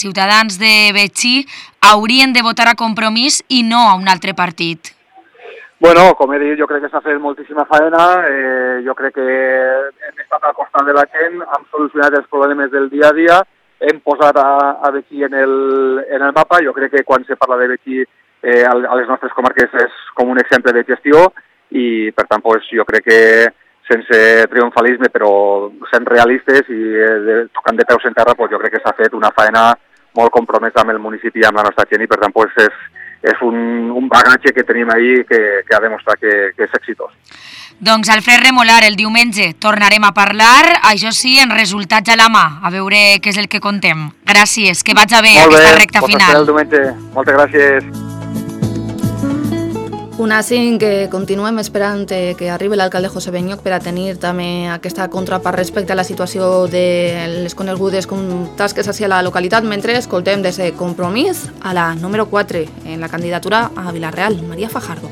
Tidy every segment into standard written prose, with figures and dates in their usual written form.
ciutadans de Betxí haurien de votar a Compromís i no a un altre partit? Bueno, com he dit, jo crec que s'ha fet moltíssima faena, jo crec que hem estat al costat de la gent, hem solucionat els problemes del dia a dia, hem posat a Betxí en el mapa. Jo crec que quan se parla de Betxí a les nostres comarques és com un exemple de gestió i, per tant, jo crec que sense triomfalisme, però sent realistes i tocant de peus en terra, jo crec que s'ha fet una faena molt compromesa amb el municipi i amb la nostra gent i, per tant, és un bagatge que tenim ahí que ha demostrat que és exitós. Doncs Alfred Remolar, el diumenge tornarem a parlar, això sí, en resultats a la mà, a veure què és el que contem. Gràcies, que vaig a bé aquesta recta final. Molt bé, el diumenge. Moltes gràcies. Una 5 que continuem esperant que arribi l'alcalde José Benyoch per a tenir també aquesta contrapart respecte a la situació de les conegudes com tasques hacia la localitat, mentre escoltem des de Compromís a la número 4 en la candidatura a Vila-real, Maria Fajardo.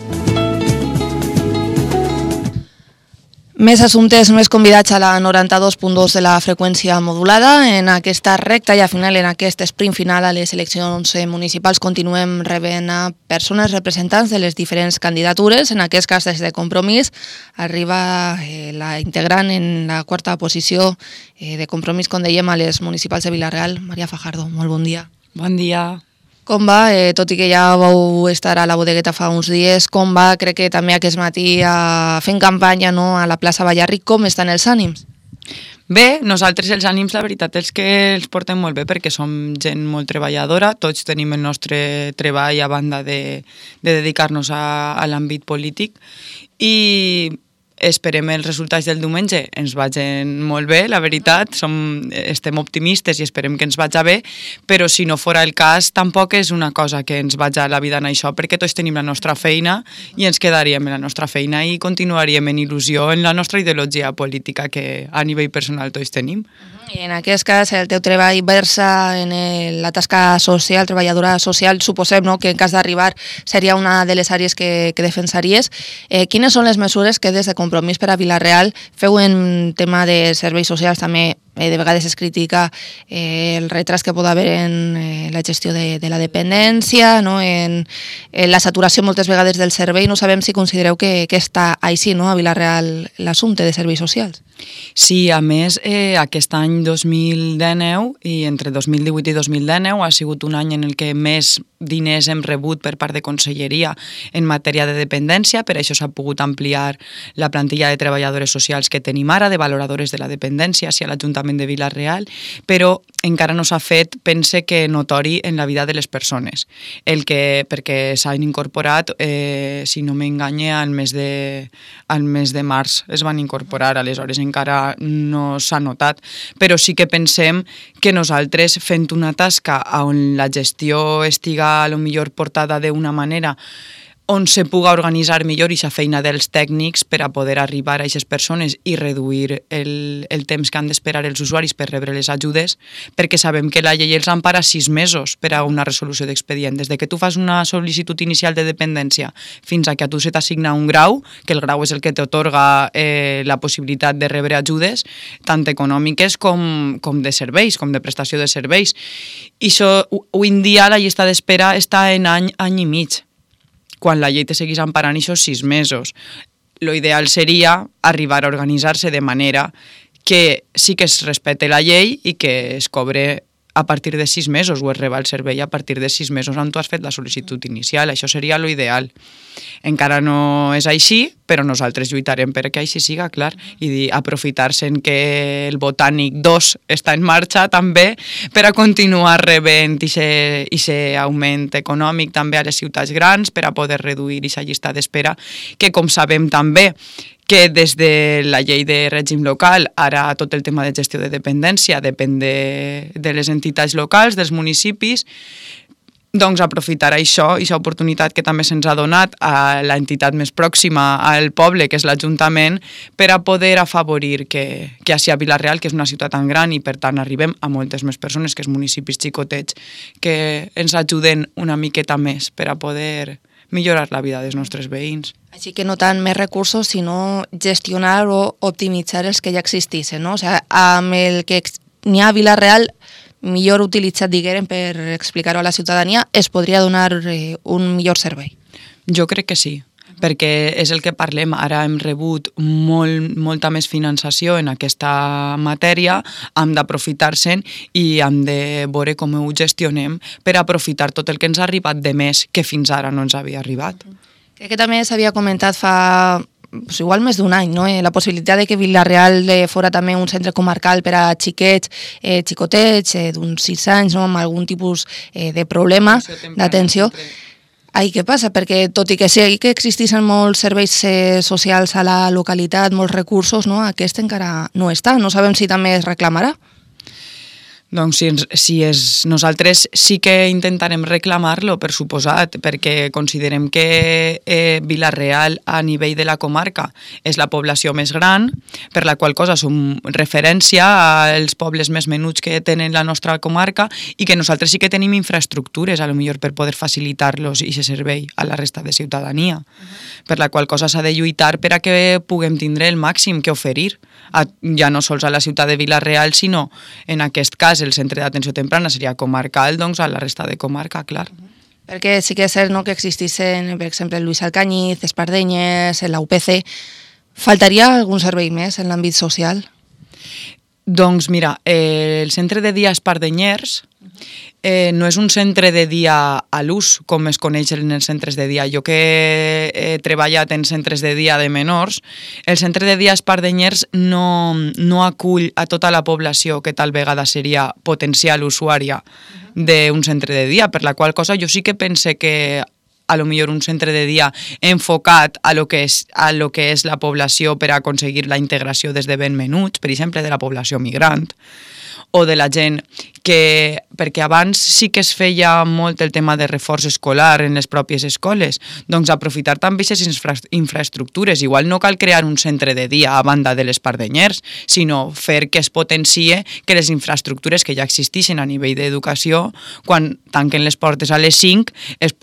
Més assumptes, més convidats a la 92.2 de la freqüència modulada. En aquesta recta i a final, en aquest sprint final a les eleccions municipals, continuem rebent a persones representants de les diferents candidatures. En aquest cas, des de Compromís, arriba la integrant en la quarta posició de Compromís, com dèiem, a les municipals de Vila-real. Maria Fajardo, molt bon dia. Bon dia. Com va? Tot i que ja vau estar a la bodegueta fa uns dies, com va? Crec que també aquest matí fent campanya a la plaça Ballarric. Com estan els ànims? Bé, nosaltres els ànims, la veritat és que els portem molt bé perquè som gent molt treballadora, tots tenim el nostre treball a banda de dedicar-nos a l'àmbit polític i esperem els resultats del diumenge. Ens vagin molt bé, la veritat, estem optimistes i esperem que ens vagi bé, però si no fora el cas tampoc és una cosa que ens vagi a la vida en això, perquè tots tenim la nostra feina i ens quedaríem en la nostra feina i continuaríem en il·lusió en la nostra ideologia política que a nivell personal tots tenim. I en aquest cas el teu treball versa en la tasca social, treballadora social, suposem que en cas d'arribar seria una de les àrees que defensaries. Quines són les mesures que des de Compromís per a Vila-real feu en tema de serveis socials? També de vegades es critica el retras que pot haver en la gestió de la dependència, en la saturació moltes vegades del servei. No sabem si considereu que està així a Vila-real l'assumpte de serveis socials. Sí, a més, aquest any 2019 i entre 2018 i 2019 ha sigut un any en el que més diners hem rebut per part de Conselleria en matèria de dependència, per això s'ha pogut ampliar la plantilla de treballadores socials que tenim ara, de valoradores de la dependència, hacia l'Ajuntament de Vila-real, però encara no s'ha fet, pense que notori en la vida de les persones, perquè s'han incorporat, si no m'enganye, al mes de març es van incorporar, aleshores encara no s'ha notat, però sí que pensem que nosaltres fent una tasca on la gestió estiga a lo millor portada d'una manera on se puga organitzar millor aquesta feina dels tècnics per a poder arribar a aquestes persones i reduir el temps que han d'esperar els usuaris per rebre les ajudes, perquè sabem que la llei els empara 6 mesos per a una resolució d'expedient. Des que tu fas una sol·licitud inicial de dependència fins a que a tu se t'assigna un grau, que el grau és el que t'atorga la possibilitat de rebre ajudes, tant econòmiques com de serveis, com de prestació de serveis. I això, avui en dia, la llista d'espera està en any i mig, quan la llei te seguís emparant aquests 6 mesos. Lo ideal seria arribar a organitzar-se de manera que sí que es respecte la llei i que es cobre a partir de 6 mesos o es reba el servei a partir de 6 mesos on tu has fet la sol·licitud inicial. Això seria lo ideal. Encara no és així, però nosaltres lluitarem perquè així siga, clar, i aprofitar-se que el Botànic 2 està en marxa també per a continuar rebent aquest augment econòmic també a les ciutats grans per a poder reduir aquesta llista d'espera, que com sabem també que des de la llei de règim local, ara tot el tema de gestió de dependència depèn de les entitats locals, dels municipis, doncs aprofitar això, aquesta oportunitat que també se'ns ha donat a l'entitat més pròxima al poble, que és l'Ajuntament, per a poder afavorir que així a Vila-real, que és una ciutat tan gran i per tant arribem a moltes més persones que els municipis xicotets, que ens ajuden una miqueta més per a poder millorar la vida dels nostres veïns. Així que no tant més recursos, sinó gestionar o optimitzar els que ja existissin, no? O sigui, amb el que n'hi ha a Vila-real millor utilitzat, diguem, per explicar-ho a la ciutadania, es podria donar un millor servei? Jo crec que sí, perquè és el que parlem. Ara hem rebut molta més finançació en aquesta matèria, hem d'aprofitar-se'n i hem de veure com ho gestionem per aprofitar tot el que ens ha arribat de més que fins ara no ens havia arribat. Crec que també s'havia comentat fa igual més d'un any, no? La possibilitat de que Vila-real fora també un centre comarcal per a xiquets, xicotets d'uns 6 anys, no? Amb algun tipus de problema d'atenció. Ai, què passa? Perquè tot i que sí que existissin molts serveis socials a la localitat, molts recursos, no? Aquest encara no està. No sabem si també es reclamarà. Doncs nosaltres sí que intentarem reclamar-lo, per suposat, perquè considerem que Vila-real a nivell de la comarca és la població més gran, per la qual cosa som referència als pobles més menuts que tenen la nostra comarca i que nosaltres sí que tenim infraestructures, a lo millor per poder facilitar-los i aquest servei a la resta de ciutadania, per la qual cosa s'ha de lluitar per a que puguem tindre el màxim que oferir, ja no sols a la ciutat de Vila-real, sinó en aquest cas el centre d'atenció temprana seria comarcal, doncs a la resta de comarca, clar. Perquè sí que és cert, no?, que existissin, per exemple, Lluís Alcañiz, Espardenyes, la UPC. Faltaria algun servei més en l'àmbit social? Doncs mira, el centre de dia Espardenyers no és un centre de dia a l'ús, com es coneix en els centres de dia. Jo que he treballat en centres de dia de menors, el centre de dia Espardenyers no acull a tota la població que tal vegada seria potencial usuària d'un centre de dia, per la qual cosa jo sí que pense que a lo millor un centre de dia enfocat a lo que és la població per a aconseguir la integració des de ben menuts, per exemple, de la població migrant, o de la gent que... Perquè abans sí que es feia molt el tema de reforç escolar en les pròpies escoles, doncs aprofitar també aquestes infraestructures. Igual no cal crear un centre de dia a banda de l'Espardenyers, sinó fer que es potencie que les infraestructures que ja existeixen a nivell d'educació, quan tanquen les portes a les 5, es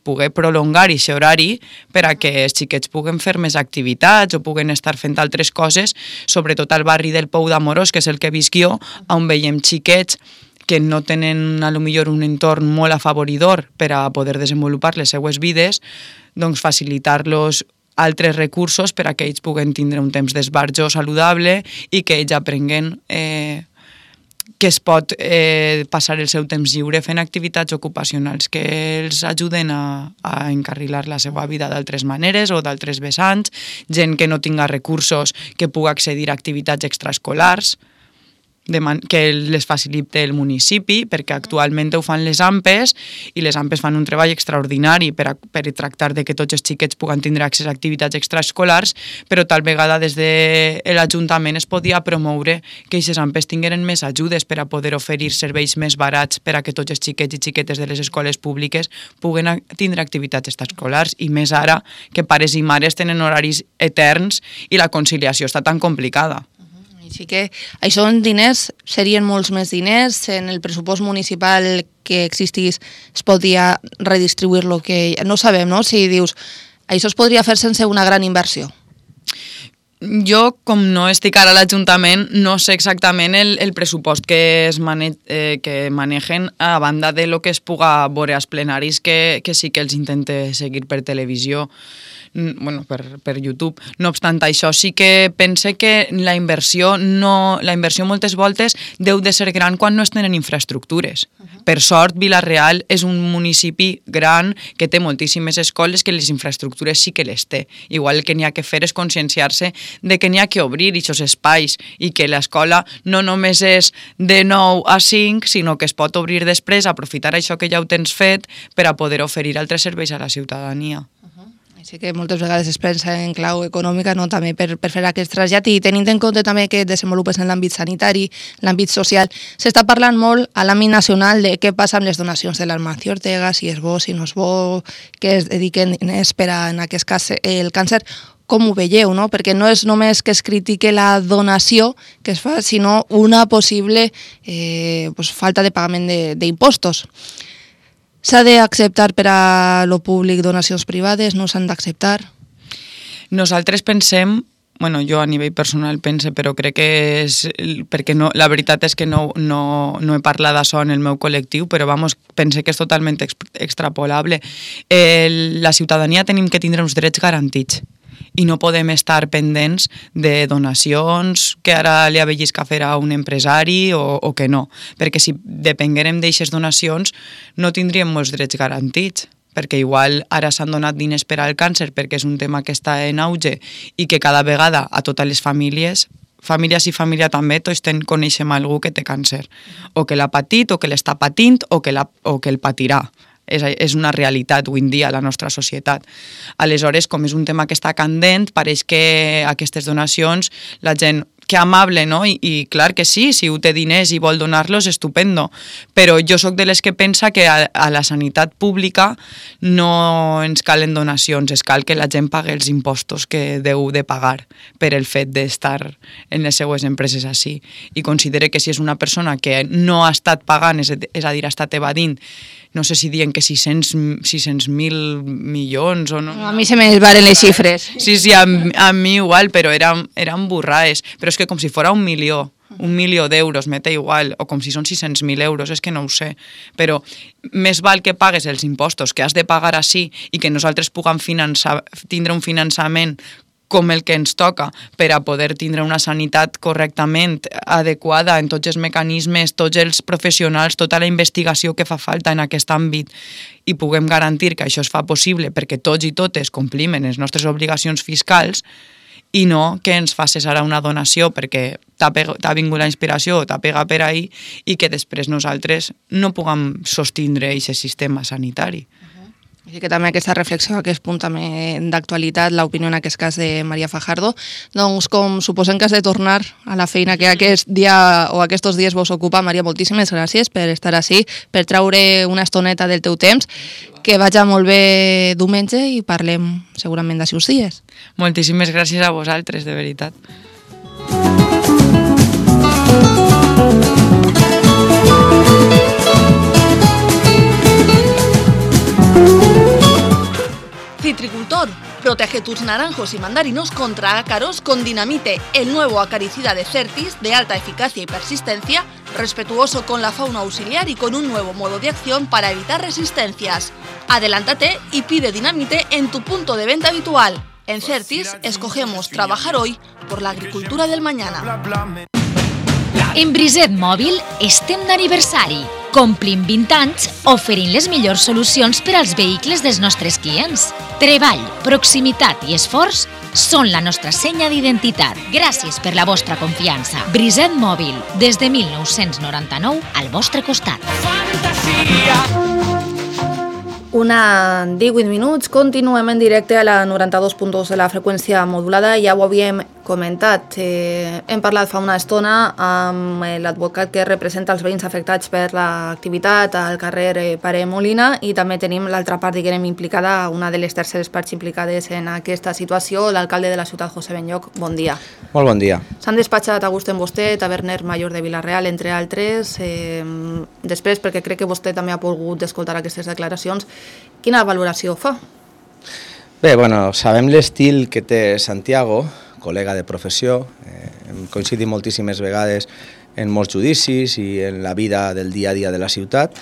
pugui prolongar aquest horari per a que els xiquets puguen fer més activitats o puguen estar fent altres coses, sobretot al barri del Pou d'Amorós, que és el que visc jo, on veiem xiquets que no tenen a lo millor un entorn molt afavoridor per a poder desenvolupar les seues vides, doncs facilitar-los altres recursos per a que ells puguen tindre un temps d'esbarjo saludable i que ells aprenguen que es pot passar el seu temps lliure fent activitats ocupacionals que els ajuden a encarrilar la seva vida d'altres maneres o d'altres vessants, gent que no tinga recursos que pugui accedir a activitats extraescolars, que les facilite el municipi, perquè actualment ho fan les AMPEs i les AMPEs fan un treball extraordinari per tractar de que tots els xiquets puguen tindre accés a activitats extraescolars, però tal vegada des de l'Ajuntament es podia promoure que aquestes AMPEs tingueren més ajudes per a poder oferir serveis més barats per a que tots els xiquets i xiquetes de les escoles públiques puguen tindre activitats extraescolars, i més ara que pares i mares tenen horaris eterns i la conciliació està tan complicada. Així que això en diners serien molts més diners, en el pressupost municipal que existís es podria redistribuir lo que... No sabem, no?, si dius això es podria fer sense una gran inversió. Jo, com no estic ara a l'Ajuntament, no sé exactament el pressupost que manegen a banda de lo que es puga veure als plenaris, que sí que els intente seguir per televisió, bueno, per YouTube. No obstant això, sí que pense que la inversió moltes voltes deu de ser gran quan no es tenen infraestructures. Per sort, Vila-real és un municipi gran que té moltíssimes escoles que les infraestructures sí que les té. Igual el que n'hi ha que fer és conscienciar-se de que n'hi ha que obrir aquests espais i que l'escola no només és de 9 a 5, sinó que es pot obrir després, aprofitar això que ja ho tens fet per a poder oferir altres serveis a la ciutadania. Així que moltes vegades es pensa en clau econòmica, no?, també per fer aquest trasllat, i tenint en compte també que et desenvolupes en l'àmbit sanitari, l'àmbit social. S'està parlant molt a l'àmbit nacional de què passa amb les donacions de l'Amancio Ortega, si és bo, si no és bo, que es dediquen diners per a, en aquest cas, el càncer. Com ho veieu, no? Perquè no és només que es critique la donació que es fa, sinó una possible falta de pagament d'impostos. S'ha d'acceptar per a lo públic donacions privades? No s'han d'acceptar? Nosaltres pensem, bueno, jo a nivell personal pense, però crec que és... perquè no, la veritat és que no he parlat d'això en el meu col·lectiu, però vamos, pense que és totalment extrapolable. La ciutadania tenim que tindre uns drets garantits i no podem estar pendents de donacions que ara li avellisca fer a un empresari o que no, perquè si depenguérem d'eixes donacions no tindríem molts drets garantits, perquè igual ara s'han donat diners per al càncer perquè és un tema que està en auge i que cada vegada a totes les famílies i família també, tots coneixem algú que té càncer, o que l'ha patit, o que l'està patint, o que el patirà. És una realitat avui en dia a la nostra societat. Aleshores, com és un tema que està candent, pareix que aquestes donacions, la gent, que amable, no? I clar que sí, si ho té diners i vol donar-los, estupendo. Però jo sóc de les que pensa que a la sanitat pública no ens calen donacions, es cal que la gent pagui els impostos que deu de pagar per el fet d'estar en les seues empreses així. I considere que si és una persona que no ha estat pagant, és a dir, ha estat evadint, no sé si diuen que 600.000 milions o no. A mi se me varen les xifres. Sí, a mi igual, però eren burraes. Però és que com si fora 1 milió d'euros, m'eta igual, o com si són 600.000 euros, és que no ho sé. Però més val que pagues els impostos que has de pagar així i que nosaltres puguem tindre un finançament com el que ens toca per a poder tindre una sanitat correctament adequada en tots els mecanismes, tots els professionals, tota la investigació que fa falta en aquest àmbit i puguem garantir que això es fa possible perquè tots i totes complim les nostres obligacions fiscals i no que ens facis ara una donació perquè t'ha vingut la inspiració o t'ha pegat per ahí i que després nosaltres no puguem sostindre aquest sistema sanitari. Així que també aquesta reflexió, aquest punt també d'actualitat, l'opinió en aquest cas de Maria Fajardo, doncs com suposem que has de tornar a la feina que aquest dia o aquests dies vos ocupa, Maria, moltíssimes gràcies per estar així, per traure una estoneta del teu temps, que vagi molt bé diumenge i parlem segurament d'ací uns dies. Moltíssimes gràcies a vosaltres, de veritat. Citricultor, protege tus naranjos y mandarinos contra ácaros con Dinamite, el nuevo acaricida de Certis de alta eficacia y persistencia, respetuoso con la fauna auxiliar y con un nuevo modo de acción para evitar resistencias. Adelántate y pide Dinamite en tu punto de venta habitual. En Certis escogemos trabajar hoy por la agricultura del mañana. En Briset Mòbil estem d'aniversari. Complim 20 anys oferint les millors solucions per als vehicles dels nostres clients. Treball, proximitat i esforç són la nostra senya d'identitat. Gràcies per la vostra confiança. Briset Mòbil, des de 1999 al vostre costat. Una 18 minuts, continuem en directe a la 92.2 de la freqüència modulada, ja ho havíem comentat. Hem parlat fa una estona amb l'advocat que representa els veïns afectats per l'activitat al carrer Pare Molina i també tenim l'altra part, diguem, implicada, una de les terceres parts implicades en aquesta situació, l'alcalde de la ciutat, José Benlloch. Bon dia. Molt bon dia. S'han despatxat Agustín Vosté, taverner major de Vila-real, entre altres. Després, perquè crec que vostè també ha pogut escoltar aquestes declaracions, quina valoració fa? Bé, bueno, sabem l'estil que té Santiago, col·lega de professió, hem coincidit moltíssimes vegades en molts judicis i en la vida del dia a dia de la ciutat.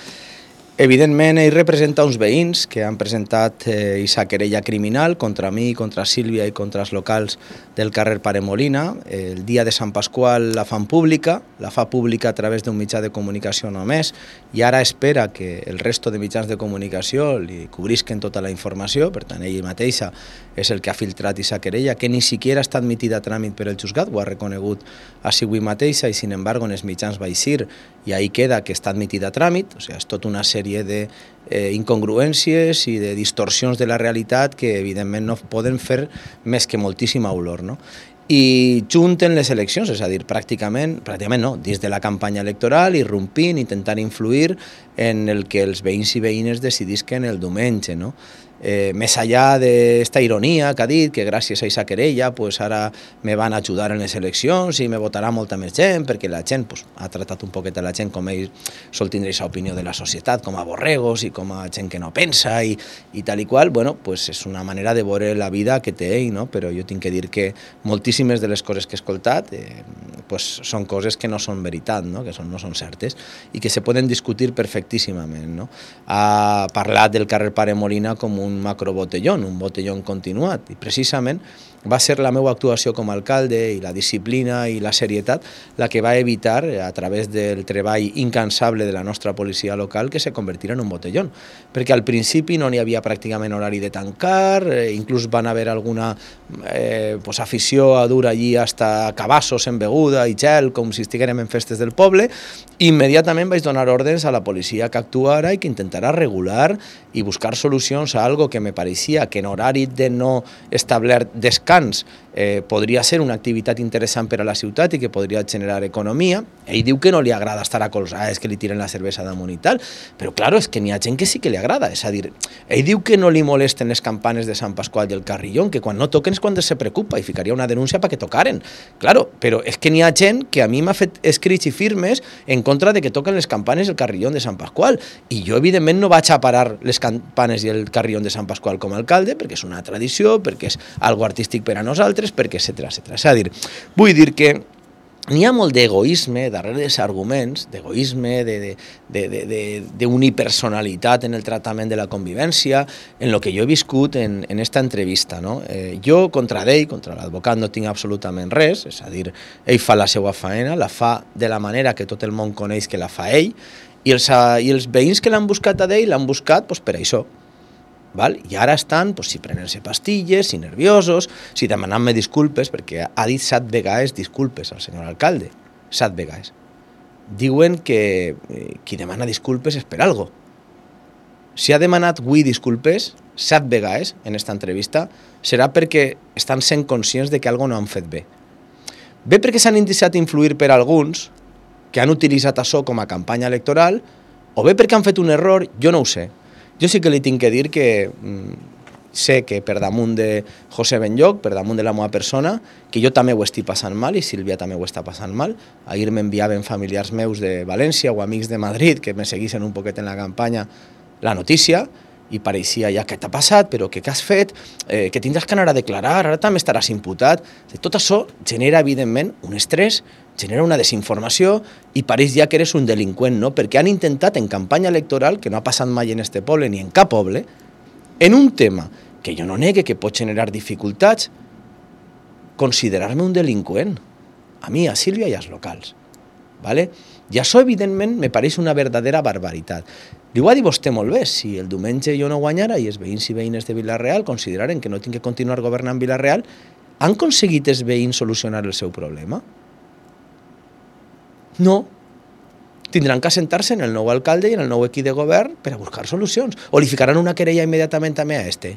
Evidentment, ell representa uns veïns que han presentat aquesta querella criminal contra mi, contra Sílvia i contra els locals del carrer Pare Molina. El dia de Sant Pasqual la fan pública, la fa pública a través d'un mitjà de comunicació només, i ara espera que el resto de mitjans de comunicació li cobrisquen tota la informació. Per tant, ell mateixa és el que ha filtrat aquesta querella, que ni siquiera està admitida a tràmit per el juzgat, ho ha reconegut així avui mateixa, i sin embargo en els mitjans va eixir i ahí queda que està admitida a tràmit. O sigui, és tota una sèrie d'incongruències i de distorsions de la realitat que evidentment no poden fer més que moltíssima olor, no? I junten les eleccions, és a dir, pràcticament no, dins de la campanya electoral, irrompint, intentant influir en el que els veïns i veïnes decidisquen el diumenge, no? més allà d'esta ironia que ha dit, que gràcies a aquesta querella pues ara me van ajudar en les eleccions i me votarà molta més gent, perquè la gent pues, ha tratat un poquet a la gent com ell sol tindre aquesta opinió de la societat, com a borregos i com a gent que no pensa i tal i qual, bueno, pues és una manera de veure la vida que té ell, no? Però jo tinc que dir que moltíssimes de les coses que he escoltat pues són coses que no són veritat, no? Que no són certes i que se poden discutir perfectíssimament, no? Ha parlat del carrer Pare Molina com un macrobotellón, un botellón continuat, i precisament va ser la meva actuació com a alcalde i la disciplina i la serietat la que va evitar, a través del treball incansable de la nostra policia local, que se convertira en un botellón. Perquè al principi no n'hi havia pràcticament horari de tancar, inclús van haver alguna pues, afició a dur allí hasta cabassos en beguda i gel, com si estiguérem en festes del poble, i immediatament vaig donar ordres a la policia que actuara i que intentara regular i buscar solucions a algo que me pareixia que en horari de no establert descans podria ser una activitat interessant per a la ciutat i que podria generar economia. Ell diu que no li agrada estar a colzades, que li tiren la cervesa damunt i tal, però claro, és que n'hi ha gent que sí que li agrada, és a dir, ell diu que no li molesten les campanes de Sant Pasqual i el Carrillón, que quan no toquen és quan se preocupa i ficaria una denúncia perquè tocaren. Claro, però és que n'hi ha gent que a mi m'ha fet escrits i firmes en contra de que toquen les campanes i el Carrillón de Sant Pasqual, i jo evidentment no vaig a parar les campanes i el Carrillón de Sant Pasqual com a alcalde, perquè és una tradició, perquè és algo artístic per a nosaltres, perquè etcètera. És a dir, vull dir que n'hi ha molt d'egoisme darrere dels arguments, d'egoisme, d'unipersonalitat en el tractament de la convivència, en el que jo he viscut en esta entrevista. No? Jo contra ell, contra l'advocat, no tinc absolutament res, és a dir, ell fa la seva faena, la fa de la manera que tot el món coneix que la fa ell, i els veïns que l'han buscat a ell l'han buscat pues, per això. Val? I ara estan, pues, si prenent-se pastilles, si nerviosos, si demanant-me disculpes, perquè ha dit 7 vegades disculpes al senyor alcalde, 7 vegades. Diuen que qui demana disculpes és per algo. Si ha demanat avui disculpes 7 vegades en esta entrevista, serà perquè estan sent conscients de que algo no han fet bé. Bé perquè s'han deixat influir per alguns que han utilitzat això com a campanya electoral, o bé perquè han fet un error, jo no ho sé. Jo sí que li tinc que dir que sé que per damunt de José Benlloch, per damunt de la meva persona, que jo també ho estic passant mal i Sílvia també ho està passant mal. Ahir m'enviaven familiars meus de València o amics de Madrid que me seguissin un poquet en la campanya la notícia i pareixia ja què t'ha passat, però què has fet, que tindràs que anar a declarar, ara també estaràs imputat. Tot això genera evidentment un estrès, genera una desinformació i pareix ja que eres un delinqüent, no? Perquè han intentat en campanya electoral, que no ha passat mai en este poble ni en cap poble, en un tema que jo no negue que pot generar dificultats, considerar-me un delinqüent, a mi, a Sílvia i als locals. ¿Vale? I això, evidentment, me pareix una verdadera barbaritat. Li ho ha dit vostè molt bé, si el diumenge jo no guanyara i els veïns i veïnes de Vila-real consideraren que no tinc que continuar governant Vila-real, han aconseguit els veïns solucionar el seu problema? No. Tindran que assentar-se en el nou alcalde i en el nou equip de govern per a buscar solucions. O li ficaran una querella immediatament també a este.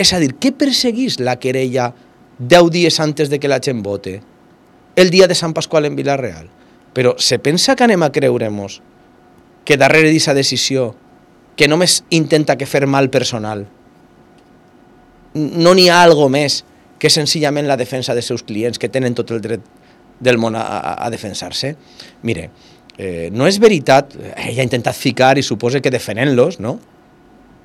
És a dir, què perseguís la querella 10 dies antes de que la gent vote? El dia de Sant Pasqual en Vila-real. Però se pensa que anem a creure-nos que darrere d'aquesta decisió, que només intenta que fer mal personal, no n'hi ha algo més que senzillament la defensa dels seus clients, que tenen tot el dret del món a defensar-se? Mire, no és veritat, ell ha intentat ficar i suposa que defenent-los, no?,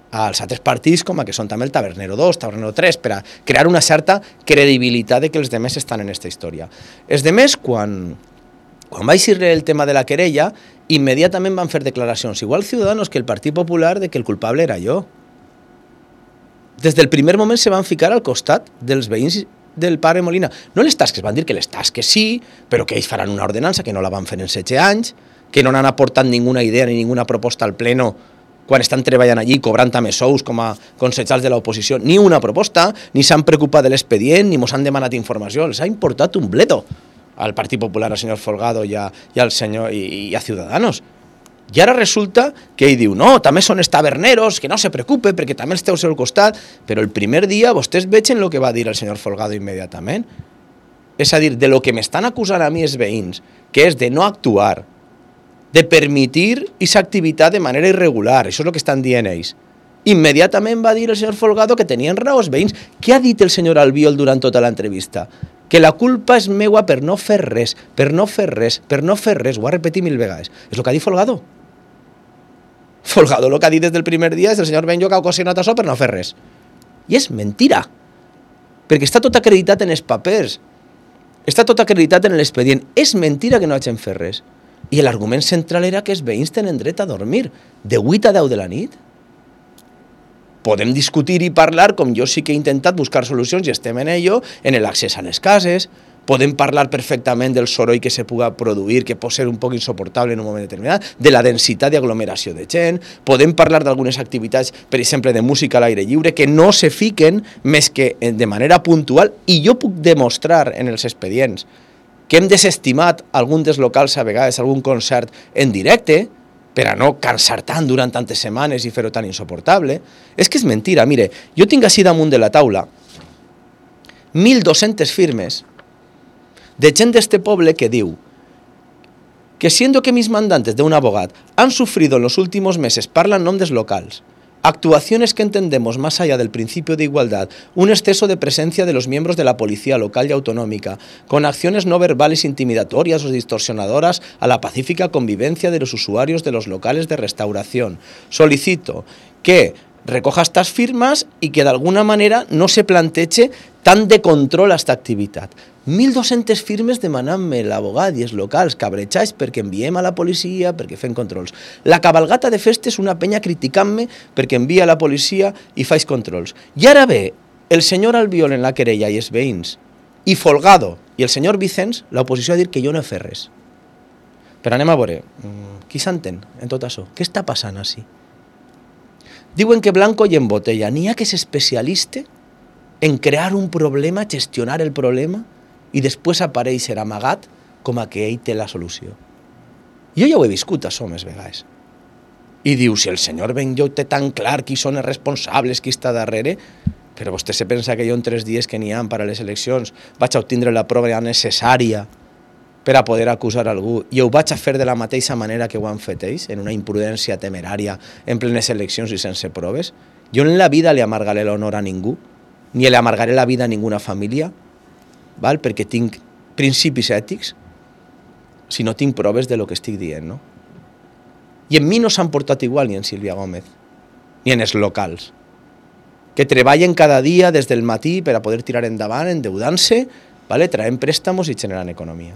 als altres partits com a que són també el Tabernero 2, Tabernero 3, per a crear una certa credibilitat de que els demés estan en aquesta història. Els demés, quan va eixir el tema de la querella, immediatament van fer declaracions, igual Ciudadanos que el Partit Popular, de que el culpable era jo. Des del primer moment se van ficar al costat dels veïns del Pare Molina. No les tasques, van dir que les tasques sí, però que ells faran una ordenança, que no la van fer en 16 anys, que no n'han aportat ninguna idea ni ninguna proposta al pleno quan estan treballant allí, cobrant també sous com a consellers de l'oposició, ni una proposta, ni s'han preocupat de l'expedient, ni mos han demanat informació, els ha importat un bledo al Partit Popular, al senyor Folgado i al senyor i a Ciudadanos. I ara resulta que ell diu, no, també són els taberneros, que no se preocupe, perquè també els teu al costat, però el primer dia vostès vegen el que va dir el senyor Folgado immediatament. És a dir, de lo que m'estan acusant a mi els veïns, que és de no actuar, de permitir aquesta activitat de manera irregular, això és el que estan dient ells, Immediatament va dir el senyor Folgado que tenien raó els veïns. Què ha dit el senyor Albiol durant tota l'entrevista? Que la culpa és meua per no fer res, per no fer res, per no fer res. Ho ha repetit 1000 vegades. És el que ha dit Folgado. Folgado el que ha dit des del primer dia és el senyor Benlloc ha ocasionat això per no fer res. I és mentira. Perquè està tot acreditat en els papers. Està tot acreditat en l'expedient. És mentira que no hagin fet res. I l'argument central era que els veïns tenen dret a dormir de 8 a 10 de la nit. Podem discutir i parlar, com jo sí que he intentat buscar solucions i estem en ello, en l'accés a les cases. Podem parlar perfectament del soroll que se puga produir, que pot ser un poc insoportable en un moment determinat, de la densitat d'aglomeració de gent. Podem parlar d'algunes activitats, per exemple, de música a l'aire lliure, que no se fiquen més que de manera puntual, i jo puc demostrar en els expedients que hem desestimat algun dels locals a vegades, algun concert en directe, per a no cansar tant durant tantes setmanes i fer-ho tan insoportable. És que és mentira. Mire, jo tinc així damunt de la taula 1.200 firmes de gent d'este poble que diu que siendo que mis mandantes de un abogado han sufrido en los últimos meses, parlan nombres locales, actuaciones que entendemos más allá del principio de igualdad, un exceso de presencia de los miembros de la policía local y autonómica, con acciones no verbales intimidatorias o distorsionadoras a la pacífica convivencia de los usuarios de los locales de restauración. Solicito que recoja estas firmas y que de alguna manera no se planteche tant de control a esta activitat. 1.200 firmes demanant-me l'abogat i els locals cabrejats perquè enviem a la policia, perquè fem controls. La cabalgata de festes, una penya criticant-me perquè envia a la policia i faig controls. I ara ve el senyor Albiol en la querella i els veïns, i Folgado i el senyor Vicenç, l'oposició a dir que jo no he fet res. Però anem a veure, qui s'entén en tot això? Què està passant així? Diuen que blanco i en botella. N'hi ha que és especialista en crear un problema, gestionar el problema i després aparèixer amagat com a que ell té la solució. Jo ja ho he viscut, això, més vegades. I diu, si el senyor Benlloc té tan clar qui són els responsables, qui està darrere, però vostè se pensa que jo en 3 dies que n'hi ha per a les eleccions vaig a obtindre la prova necessària per a poder acusar algú, i ho vaig a fer de la mateixa manera que ho han fet ells, en una imprudència temerària, en plenes eleccions i sense proves. Jo en la vida li amargaré l'honor a ningú, ni li amargaré la vida a ninguna família, val? Perquè tinc principis ètics, si no tinc proves de lo que estic dient, no? I en mi no s'han portat igual ni en Sílvia Gómez, ni en els locals, que treballen cada dia des del matí per a poder tirar endavant, endeudant-se, vale? Traient préstamos i generant economia.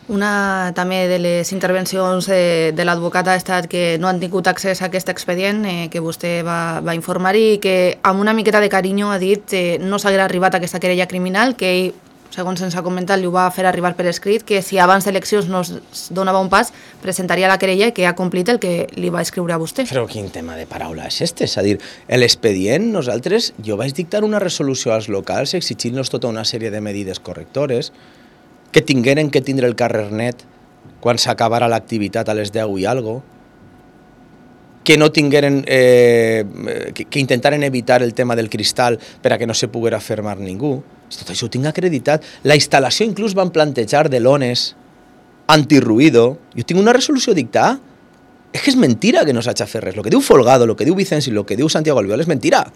Una també de les intervencions de l'advocat ha estat que no han tingut accés a aquest expedient que vostè va informar i que amb una miqueta de carinyo ha dit que no s'haguera arribat a aquesta querella criminal, que ell, segons ens ha comentat, li ho va fer arribar per escrit, que si abans d'eleccions no es donava un pas, presentaria la querella i que ha complit el que li va escriure a vostè. Però quin tema de paraula és este? És a dir, l'expedient, nosaltres, jo vaig dictar una resolució als locals exigint-los tota una sèrie de medides correctores, que tingueren que tindre el carrer net quan s'acabara l'activitat a les 10 i algo, que no tingueren, que intentaren evitar el tema del cristal per a que no se poguera fermar ningú. Tot això ho tinc acreditat. La instal·lació inclús van plantejar de lones antirruïdo. Jo tinc una resolució dictada. És que és mentira que no s'hagi fet res. El que diu Folgado, el que diu Vicenç i el que diu Santiago Albiol és mentira.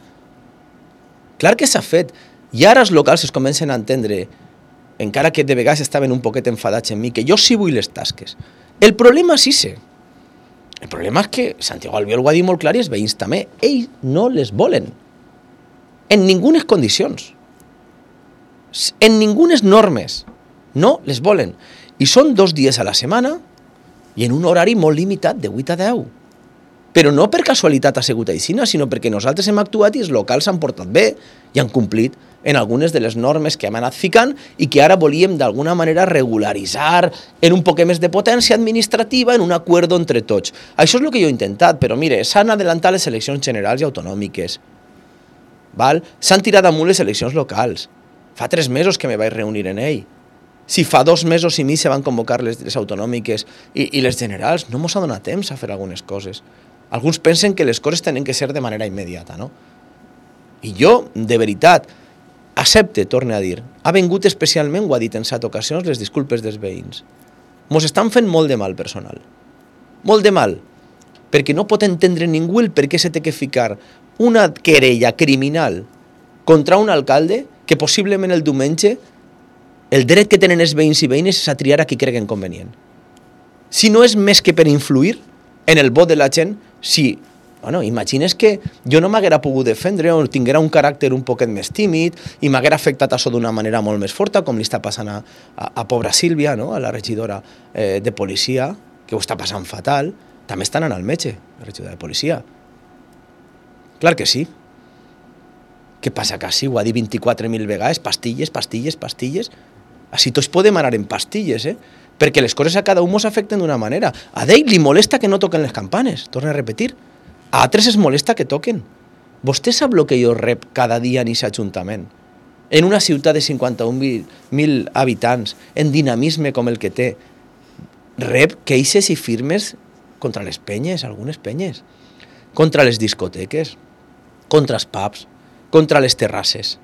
Clar que s'ha fet. I ara els locals es comencen a entendre, encara que de vegades estaven un poquet enfadats en mi, que jo sí vull les tasques. El problema sí sé. El problema és que Santiago Albiol ho ha dit molt clar i els veïns també. Ells no les volen. En ningunes condicions. En ningunes normes. No les volen. I són 2 dies a la setmana i en un horari molt limitat, de 8 a 10. Però no per casualitat ha sigut així, sinó perquè nosaltres hem actuat i els locals s'han portat bé i han complit en algunes de les normes que hem anat ficant i que ara volíem d'alguna manera regularitzar en un poc més de potència administrativa, en un acord entre tots. Això és el que jo he intentat, però mire, s'han adelantat les eleccions generals i autonòmiques. S'han tirat amunt les eleccions locals. Fa 3 mesos que me vaig reunir en ell. Si fa 2 mesos i mig se van convocar les autonòmiques i les generals, no mos ha donat temps a fer algunes coses. Alguns pensen que les coses tenen que ser de manera immediata, no? I jo, de veritat, accepte, torne a dir, ha vengut especialment, ho ha dit en 7 ocasions, les disculpes dels veïns. Mos estan fent molt de mal personal. Molt de mal. perquè no pot entendre ningú el per què se té que ficar una querella criminal contra un alcalde que possiblement el diumenge el dret que tenen els veïns i veïnes és a triar a qui creguen convenient. Si no és més que per influir en el vot de la gent, si, bueno, imagines que jo no m'haguera pogut defendre o tinguera un caràcter un poquet més tímid i m'haguera afectat això d'una manera molt més forta, com li està passant a pobra Sílvia, no? A la regidora de policia, que ho està passant fatal, també està anant al metge, la regidora de policia. Clar que sí. Què passa que sí? Ho ha dit 24.000 vegades, pastilles, pastilles, pastilles. Així tots podem anar en pastilles, perquè les coses a cada un ens afecten d'una manera. A ell li molesta que no toquen les campanes, torna a repetir. A altres es molesta que toquen. Vostè sap el que jo rep cada dia en aquest ajuntament? En una ciutat de 51.000 habitants, en dinamisme com el que té, rep queixes i firmes contra les penyes, algunes penyes, contra les discoteques, contra els pubs, contra les terrasses.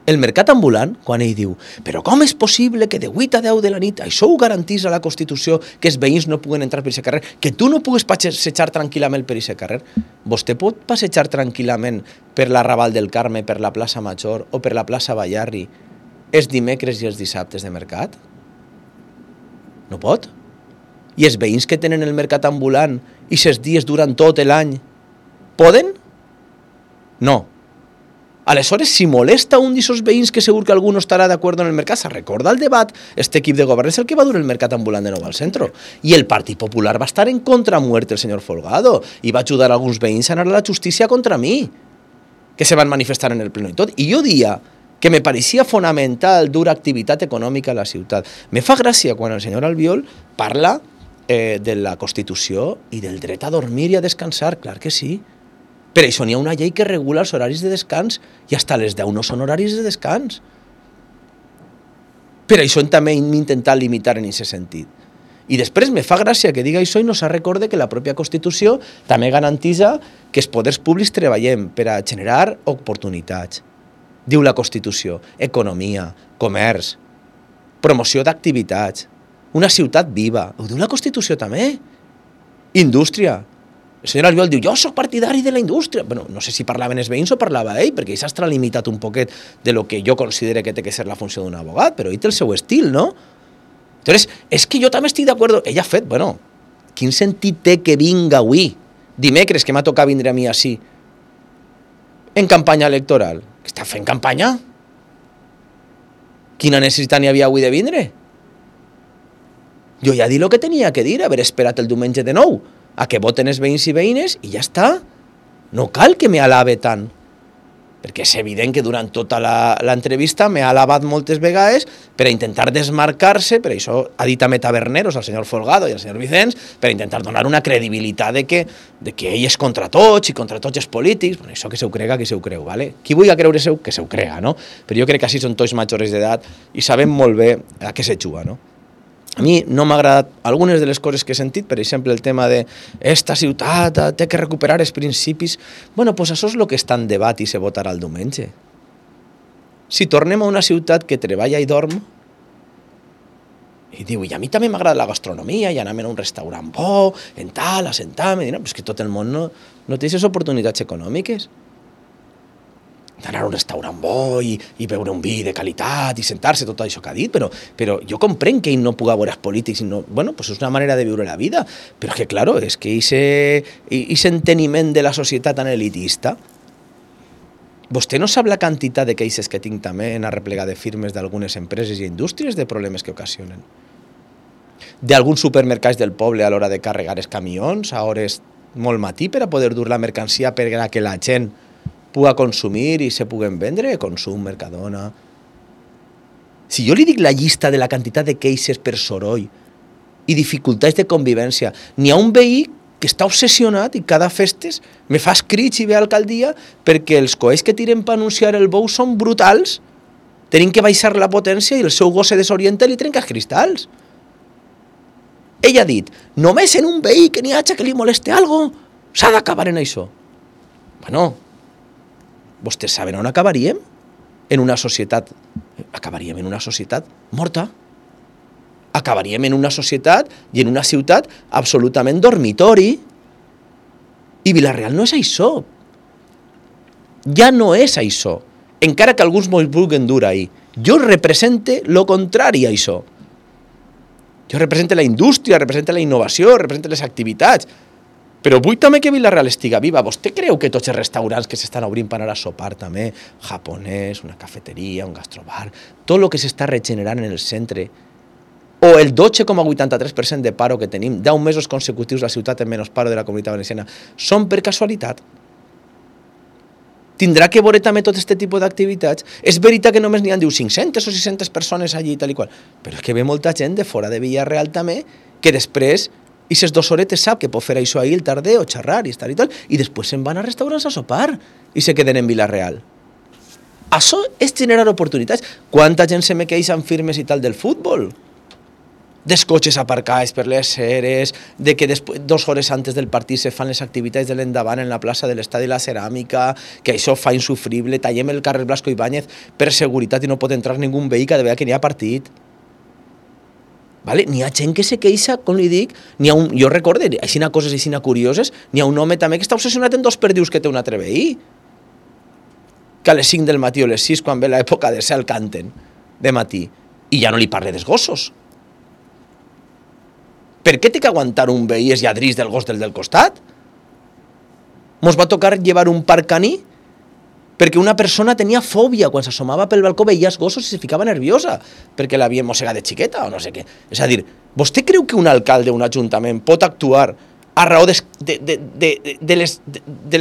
El mercat ambulant, quan ell diu però com és possible que de 8 a 10 de la nit això ho garantís a la Constitució, que els veïns no puguen entrar per aquest carrer, que tu no puguis passejar tranquil·lament per aquest carrer? Vostè pot passejar tranquil·lament per la Raval del Carme, per la plaça Major o per la plaça Ballarri els dimecres i els dissabtes de mercat? No pot? I els veïns que tenen el mercat ambulant i aquests dies duran tot l'any, poden? No. Aleshores, si molesta un d'aquests veïns que segur que algú no estarà d'acord en el mercat, se recorda el debat, este equip de govern és el que va dur el mercat ambulant de nou al centre. I el Partit Popular va estar en contra a muerte el senyor Folgado i va ajudar alguns veïns a anar a la justícia contra mi, que se van manifestar en el pleno i tot. I jo dia que me pareixia fonamental dur activitat econòmica a la ciutat. Me fa gràcia quan el senyor Albiol parla de la Constitució i del dret a dormir i a descansar, clar que sí. Per això n'hi ha una llei que regula els horaris de descans i fins a les 10 no són horaris de descans. Per això també hem intentat limitar en aquest sentit. I després me fa gràcia que diga això i no se recorde que la pròpia Constitució també garantitza que els poders públics treballem per a generar oportunitats. Diu la Constitució, economia, comerç, promoció d'activitats, una ciutat viva. Ho diu la Constitució també. Indústria. El senyor Albiol diu, jo soc partidari de la indústria. Bueno, no sé si parlaven els veïns o parlava ell, perquè ell s'ha extralimitat un poquet de lo que jo considero que té que ser la funció d'un abogat, però ell té el seu estil, no? Entonces, és que jo també estic d'acord. Ell ha fet, bueno, quin sentit té que vinga avui, dimecres, que m'ha tocat vindre a mi així, en campanya electoral? Que està fent campanya? Quina necessitat n'hi havia avui de vindre? Jo ja he dit el que tenia que dir, haver esperat el diumenge de nou, a que voten els veïns i veïnes i ja està. No cal que me alabe tant, perquè és evident que durant tota l'entrevista m'ha alabat moltes vegades per a intentar desmarcar-se, per això ha dit també taberneros al senyor Folgado i al senyor Vicenç, per a intentar donar una credibilitat de que ell és contra tots i contra tots els polítics. Bueno, això que se ho crega, que se ho creu, ¿vale? Qui vulgui creure que se ho crega, no? Però jo crec que així són tots majors d'edat i sabem molt bé a què se juga, no? A mi no m'ha agradat algunes de les coses que he sentit, per exemple, el tema de esta ciutat té que recuperar els principis. Bueno, doncs això és el que està en debat i se votarà el diumenge. Si tornem a una ciutat que treballa i dorm, i diu, i a mi també m'agrada la gastronomia, i anem a un restaurant bo, en tal, assentar-me, no, però és que tot el món no té aquestes oportunitats econòmiques. D'anar a un restaurant bo i beure un vi de qualitat i sentar-se, tot això que ha dit, però jo comprenc que ell no pugui veure els polítics, bueno, pues és una manera de viure la vida, però que, claro, és que aquest enteniment de la societat tan elitista, vostè no sap la quantitat de queixes que tinc també en arreplegar de firmes d'algunes empreses i indústries de problemes que ocasionen. D'alguns supermercats del poble a l'hora de carregar els camions a hores molt matí per a poder dur la mercancia per a que la gent puga consumir i se puguen vendre, consum, Mercadona. Si jo li dic la llista de la quantitat de queixes per soroll i dificultats de convivència, n'hi ha un veí que està obsessionat i cada festes me fa escrits i ve a l'alcaldia perquè els coets que tiren per anunciar el bou són brutals, tenim que baixar la potència i el seu gos se desorienta i li trenca els cristalls. Ell ha dit, només en un veí que n'hi hagi que li moleste algo, s'ha d'acabar en això. Bueno, vostès saben on acabaríem? En una societat. Acabaríem en una societat morta. Acabaríem en una societat i en una ciutat absolutament dormitori, I Vila-real no és això. Ja no és això. Encara que alguns mos vulguin dur ahí. Jo represente lo contrari a això. Jo represente la indústria, represente la innovació, represente les activitats. Però vull també que Vila-real estiga viva. Vostè creu que tots els restaurants que s'estan obrint per anar a sopar també, japonès, una cafeteria, un gastrobar, tot el que s'està regenerant en el centre, o el 12,83% de paro que tenim, 10 mesos consecutius la ciutat en menys paro de la Comunitat Valenciana, són per casualitat? Tindrà que veure també tot aquest tipus d'activitats. És veritat que només n'hi ha 500 o 600 persones allí i tal i qual, però és que ve molta gent de fora de Vila-real també, que després, i ses 2 horetes sap que pot fer això ahir el tarder o xerrar i tal, i després se'n van a restaurants a sopar i se queden en Vila-real. Això és generar oportunitats. Quanta gent se me queixa en firmes i tal del futbol? Dels cotxes aparcats per les eres, de que 2 hores antes del partit se fan les activitats de l'endavant en la plaça de l'Estadi i la Ceràmica, que això fa insufrible, tallem el carrer Blasco Ibáñez per seguretat i no pot entrar ningú veí cada vegada que n'hi ha partit. Vale? N'hi ha gent que se queixa, com li dic, jo recordo, aixina coses aixina curioses, n'hi ha un home també que està obsessionat en 2 perdius que té un altre veí, que a les 5 del matí o les 6, quan ve l'època de cel, canten de matí, i ja no li parle dels gossos. Per què té que aguantar un veí els lladrís del gos del costat? Mos va tocar llevar un parc caní perquè una persona tenia fòbia, quan s'assomava pel balcó veia els gossos i se ficava nerviosa, perquè l'havien mossegat de xiqueta o no sé què. És a dir, vostè creu que un alcalde o un ajuntament pot actuar a raó de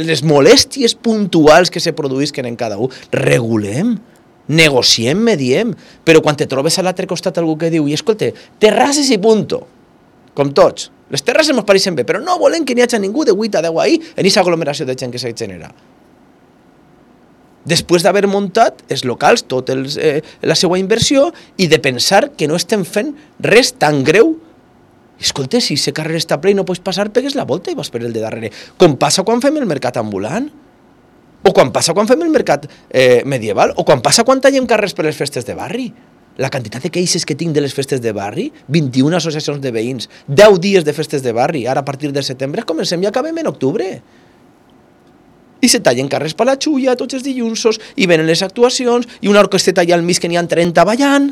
les molèsties puntuals que se produïsquen en cada un? Regulem, negociem, mediem, però quan te trobes a l'altre costat algú que diu, i escolta, terrasses i punto, com tots. Les terrasses ens pareixen bé, però no volem que n'hi hagi ningú de 8 a 10 ahí en aquesta aglomeració de gent que se genera. Després d'haver muntat els locals, tota la seva inversió, i de pensar que no estem fent res tan greu. Escolta, si aquest carrer està ple i no pots passar, pegues la volta i vas per el de darrere. Com passa quan fem el mercat ambulant? O quan passa quan fem el mercat medieval? O quan passa quan tallem carrers per les festes de barri? La quantitat de queixes que tinc de les festes de barri, 21 associacions de veïns, 10 dies de festes de barri, ara a partir de setembre comencem i acabem en octubre. I se tallen carrers per la xulla tots els dilluns, i venen les actuacions, i una orquesteta allà al mig que n'hi ha 30 ballant.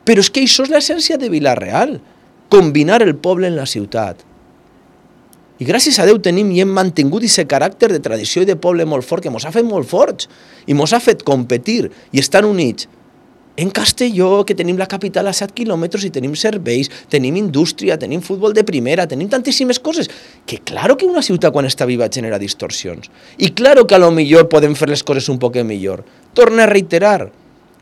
Però és que això és l'essència de Vila-real, combinar el poble en la ciutat. I gràcies a Déu tenim i hem mantingut aquest caràcter de tradició i de poble molt fort, que mos ha fet molt forts, i mos ha fet competir i estar units. En Castelló, que tenim la capital a 7 quilòmetres i tenim serveis, tenim indústria, tenim futbol de primera, tenim tantíssimes coses, que claro que una ciutat quan està viva genera distorsions. I claro que a lo millor podem fer les coses un poc millor. Torno a reiterar,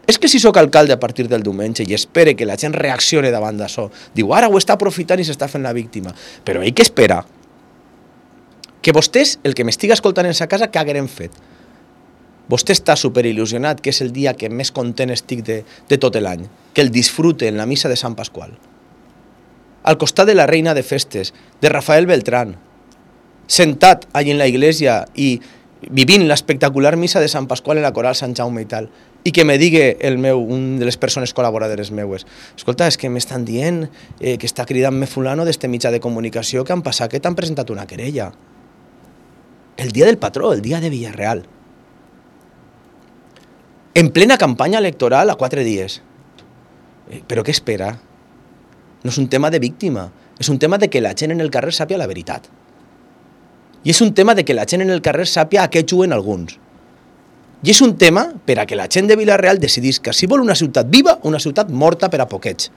és que si sóc alcalde a partir del diumenge i espere que la gent reaccione davant d'això, diu, ara ho està aprofitant i s'està fent la víctima, però ell que espera que vostès, el que m'estiga escoltant en sa casa, què hagueren fet? Vostè està superil·lusionat que és el dia que més content estic de tot l'any, que el disfrute en la missa de Sant Pasqual. Al costat de la reina de festes, de Rafael Beltrán, sentat allí en la iglesia i vivint l'espectacular missa de Sant Pasqual en la coral Sant Jaume i tal, i que me digui un de les persones col·laboradores meues, escolta, és que m'estan dient que està cridant-me fulano d'este mitjà de comunicació que han passat que t'han presentat una querella. El dia del patró, el dia de Vila-real. En plena campanya electoral a 4 dies. Però què espera? No és un tema de víctima, és un tema de que la gent en el carrer sàpia la veritat. I és un tema de que la gent en el carrer sàpia a què juguen alguns. I és un tema per a que la gent de Vila-real decidís que si vol una ciutat viva o una ciutat morta per a poquets.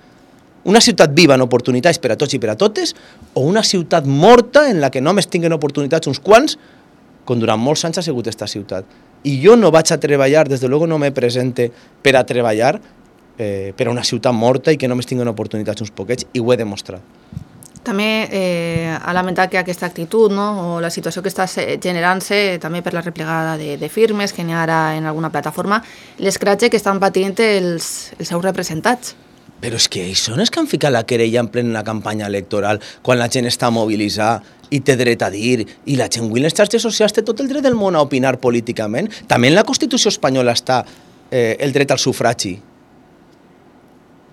Una ciutat viva en oportunitats per a tots i per a totes, o una ciutat morta en la que només tinguen oportunitats uns quants, com durant molts anys ha sigut esta ciutat. I jo no vaig a treballar, des de luego no me presente per a treballar per a una ciutat morta i que només tinguen oportunitats uns poquets, i ho he demostrat. També ha lamentat que aquesta actitud, no, o la situació que està generant-se també per la replegada de firmes que n'hi ha ara en alguna plataforma, l'escratge que estan patint els seus representats. Però és que ells són els que han ficat la querella en plena campanya electoral, quan la gent està mobilitzada i té dret a dir, i la gent avui en les xarxes socials té tot el dret del món a opinar políticament. També en la Constitució espanyola està el dret al sufragi,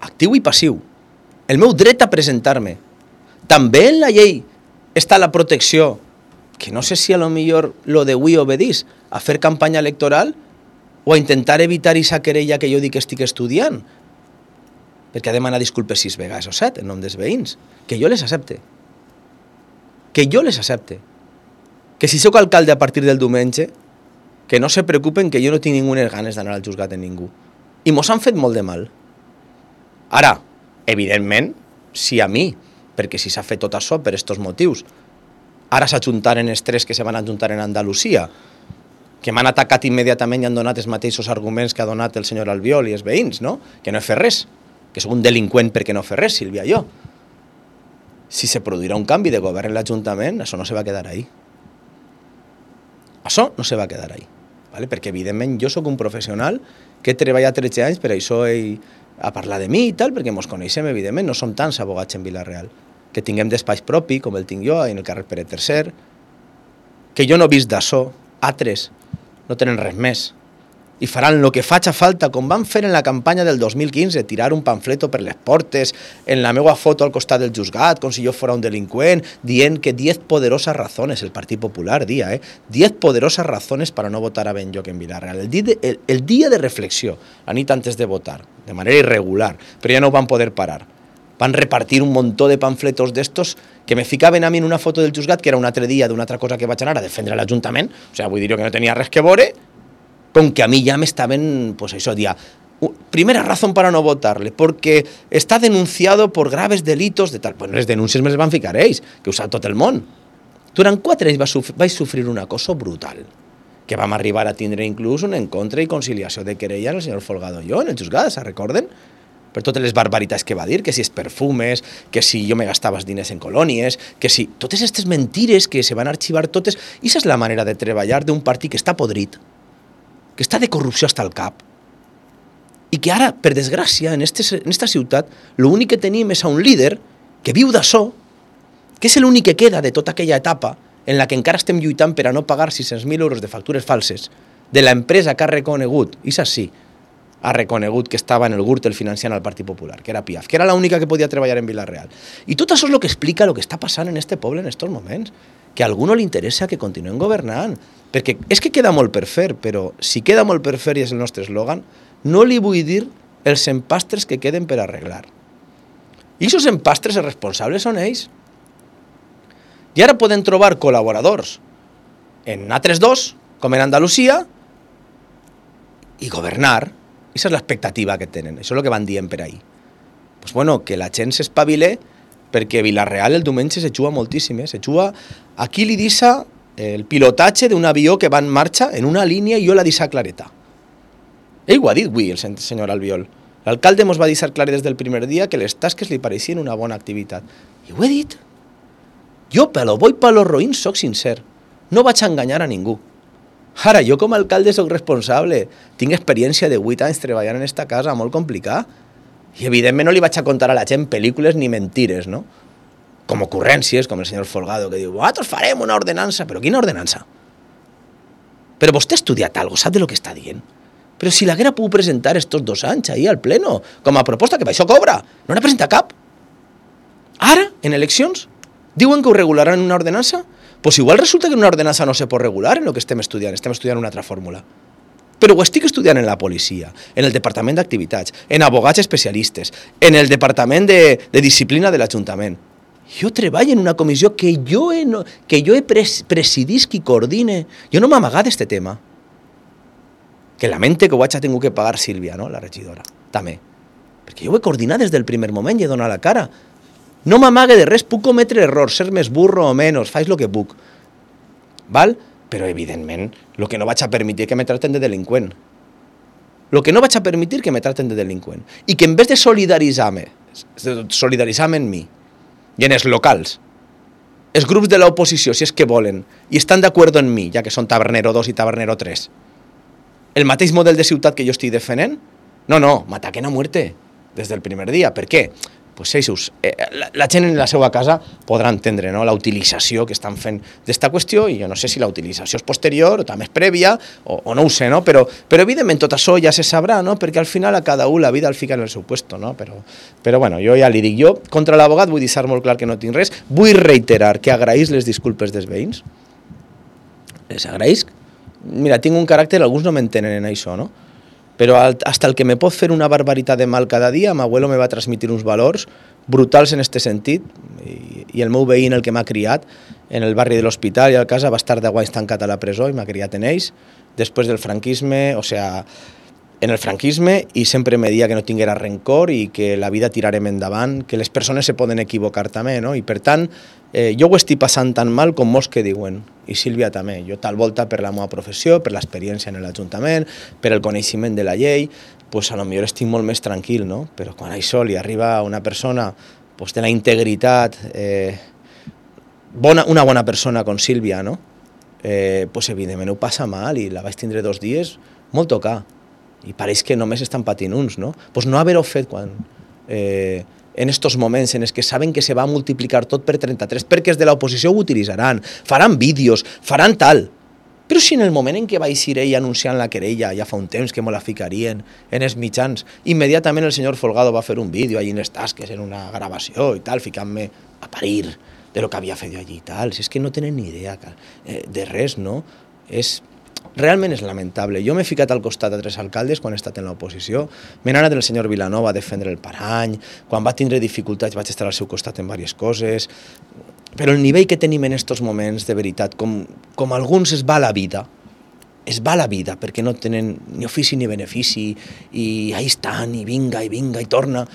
actiu i passiu, el meu dret a presentar-me. També en la llei està la protecció que no sé si a lo millor lo de avui obedís a fer campanya electoral o a intentar evitar esa querella que jo dic que estic estudiant, perquè ha demanat disculpes 6 vegades o 7 en nom dels veïns, que jo les accepte. Que jo les accepte. Que si sóc alcalde a partir del diumenge, que no se preocupen que jo no tinc ningunes ganes d'anar al juzgat en ningú. I mos han fet molt de mal. Ara, evidentment, si a mi, perquè si s'ha fet tot això per estos motius, ara s'ajuntaren els 3 que se van ajuntar en Andalusia, que m'han atacat immediatament i han donat els mateixos arguments que ha donat el senyor Albiol i els veïns, no? Que no he fet res, que sóc un delinqüent perquè no he fet res, Sílvia, jo. Si se produirà un canvi de govern en l'Ajuntament, això no se va quedar ahí. Això no se va quedar ahí, ¿vale? Perquè evidentment jo sóc un professional que he treballat 13 anys per això a parlar de mi i tal, perquè mos coneixem, evidentment, no som tants abogats en Vila-real, que tinguem despatx propi, com el tinc jo, en el carrer Pere III, que jo no he vist d'això, altres no tenen res més, i faran el que faci falta, com van fer en la campanya del 2015, tirar un pamfleto per les portes, en la meva foto al costat del juzgat, com si jo fos un delinqüent, dient que 10 poderosas razones, el Partit Popular dia, 10 poderosas razones para no votar a Benlloc en Vila-real. El dia de reflexió, la nit antes de votar, de manera irregular, però ja no ho van poder parar. Van repartir un montó de pamfletos d'estos que me ficaven a mi en una foto del juzgat, que era un altre dia d'una altra cosa que vaig anar a defendre l'Ajuntament, o sea, vull dir que no tenia res que veure, con que a mí ya me estaban, pues eso, día, primera razón para no votarle, porque está denunciado por graves delitos de tal. Pues les denúncies me les van ficar ells, que ho sap tot el món. Durant 4 anys vaig sofrir un acoso brutal, que vam arribar a tindre inclús un encontre i conciliació de querella el senyor Folgado i jo en el juzgat, ¿se recorden? Per totes les barbaritats que va dir, que si els perfumes, que si jo me gastava els diners en colònies, que si totes aquestes mentires que se van arxivar totes, i aquesta és la manera de treballar d'un partit que està podrit, que està de corrupció hasta el cap, i que ara, per desgràcia, en esta ciutat, l'únic que tenim és a un líder que viu d'això, que és l'únic que queda de tota aquella etapa en la que encara estem lluitant per a no pagar 600.000 euros de factures falses de l'empresa que ha reconegut, i sí, ha reconegut que estava en el Gürtel financiant al Partit Popular, que era Piaf, que era l'única que podia treballar en Vila-real. I tot això és el que explica el que està passant en este poble en estos moments, que a algú no li interessa que continuem governant, perquè és que queda molt per fer, però si queda molt per fer i és el nostre eslògan, no li vull dir els empastres que queden per arreglar. I aquests empastres, els responsables són ells. I ara poden trobar col·laboradors en altres 2, com en Andalusia, i governar. Aquesta és l'expectativa que tenen, això és el que van dient per ahí. Pues bueno, que la gent s'espavile, perquè Vila-real el diumenge se juga moltíssim, se juga a qui li deixa el pilotatge d'un avió que va en marxa en una línia i jo la deixa clareta. Ell ho ha dit avui, el senyor Albiol. L'alcalde mos va deixar clar des del primer dia que les tasques li pareixien una bona activitat. I ho he dit. Jo, pelo bo i pelo roïn, soc sincer. No vaig enganyar a ningú. Ara, jo com a alcalde soc responsable. Tinc experiència de 8 anys treballant en esta casa, molt complicat. I evidentment no li vaig a contar a la gent pel·lícules ni mentires, no? Com ocurrències, com el senyor Folgado, que diu, nosaltres farem una ordenança. Però quina ordenança? Però vostè ha estudiat alguna cosa, sap de lo que està dient? Però si l'haguera pogut presentar estos 2 anys ahí al pleno, com a proposta, que per això cobra, no n'ha presentat cap. Ara, en eleccions, diuen que ho regularan en una ordenança? Pues igual resulta que en una ordenança no se pot regular en el que estem estudiant una altra fórmula. Però ho estic estudiant en la policia, en el Departament d'Activitats, en abogats especialistes, en el Departament de Disciplina de l'Ajuntament. Jo treballo en una comissió que jo he presidisc i coordine. Jo no m'amagat d'este tema. Que lamente que ho haig tingut que pagar Sílvia, no? La regidora, també. Perquè jo ho he coordinat des del primer moment i he donat la cara. No m'amague de res, puc cometre errors, ser més burro o menys, faig el que puc. Val? Però, evidentment, el que no vaig a permetir que me traten de delinqüent. El que no vaig a permetir que me traten de delinqüent. I que en vez de solidaritzar-me en mi i en els locals, els grups de l'oposició, si és que volen, i estan d'acord en mi, ja que són Tabernero 2 i Tabernero 3, el mateix model de ciutat que jo estic defendent, no, m'ataquen a muerte des del primer dia. Per què? Pues eixos, la gent en la seva casa podrà entendre, no, la utilització que estan fent d'esta qüestió, i jo no sé si la utilització és posterior o també és prèvia, o no ho sé, no? Però evidentment tot això ja se sabrà, no? Perquè al final a cada un la vida el fica en el seu puesto, no? Però bueno, jo ja li dic, jo contra l'abogat vull deixar molt clar que no tinc res, vull reiterar que agraïs les disculpes dels veïns, les agraïsc. Mira, tinc un caràcter, alguns no m'entenen en això, no? Però hasta el que me pot fer una barbaritat de mal cada dia, m'abuelo me va transmitir uns valors brutals en este sentit, i el meu veí, el que m'ha criat en el barri de l'Hospital i a casa, va estar 10 anys tancat a la presó i m'ha criat en ells. Després del franquisme, en el franquisme, i sempre me dia que no tinguera rencor i que la vida tirarem endavant, que les persones se poden equivocar també, no? I per tant, jo ho estic passant tan mal com molts que diuen, i Sílvia també. Jo tal volta per la meva professió, per l'experiència en l'Ajuntament, per el coneixement de la llei, pues a lo millor estic molt més tranquil, no? Però quan això li arriba a una persona pues, de la integritat, una bona persona com Sílvia, no? Pues evidentment ho passa mal i la vaig tindre 2 dies molt tocar. I pareix que només estan patint uns, no? Pues no haver-ho fet quan, en estos moments en els que saben que se va multiplicar tot per 33, perquè els de l'oposició ho utilitzaran, faran vídeos, faran tal. Però si en el moment en què va eixir ell anunciant la querella, ja fa un temps que me la ficarien en els mitjans, immediatament el senyor Folgado va fer un vídeo allí en les tasques, en una gravació i tal, ficant-me a parir de lo que havia fet jo allí i tal. Si és que no tenen ni idea de res, no? Realment és lamentable. Jo m'he ficat al costat de 3 alcaldes quan he estat en l'oposició. M'he anat del senyor Vilanova a defendre el Parany. Quan va tindre dificultats vaig estar al seu costat en diverses coses. Però el nivell que tenim en aquests moments, de veritat, com alguns es va la vida, perquè no tenen ni ofici ni benefici, i ahí estan, i vinga, i torna.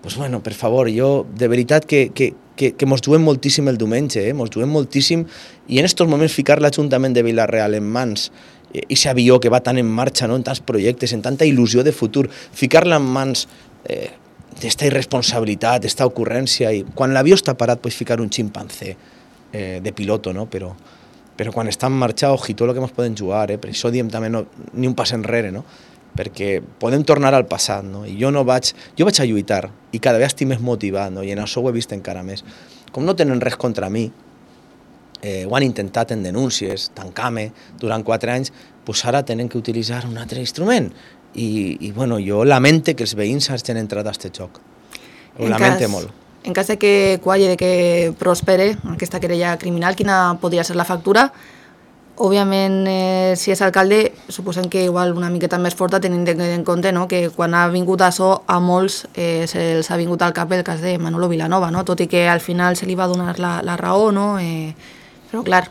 Pues bueno, per favor, jo, de veritat que mos juguem moltíssim el diumenge, mos juguem moltíssim, i en aquests moments ficar l'Ajuntament de Vila-real en mans i aquest avió que va tan en marxa, no? En tants projectes, en tanta il·lusió de futur, ficar-la en mans d'esta irresponsabilitat, d'esta ocurrència, i quan l'avió està parat pots ficar un ximpancé de piloto, no? Però quan està en marxa, ojito lo que ens poden jugar, per això diem també ni un pas enrere, no? Perquè podem tornar al passat, no? I jo vaig a lluitar, i cada vegada estic més motivat, no? I en això ho he vist encara més. Com no tenen res contra mi, ho han intentat en denúncies, tancar-me durant 4 anys, doncs ara tenen que utilitzar un altre instrument. I bueno, jo lamente que els veïns hagin entrat a aquest joc. Ho lamente molt. En cas de que qualli, de que prospere aquesta querella criminal, quina podria ser la factura? Òbviament, si és alcalde, suposem que igual una miqueta més forta, tenint en compte, no? Que quan ha vingut això, a molts se'ls ha vingut al cap el cas de Manolo Vilanova, no? Tot i que al final se li va donar la raó, no? Però clar,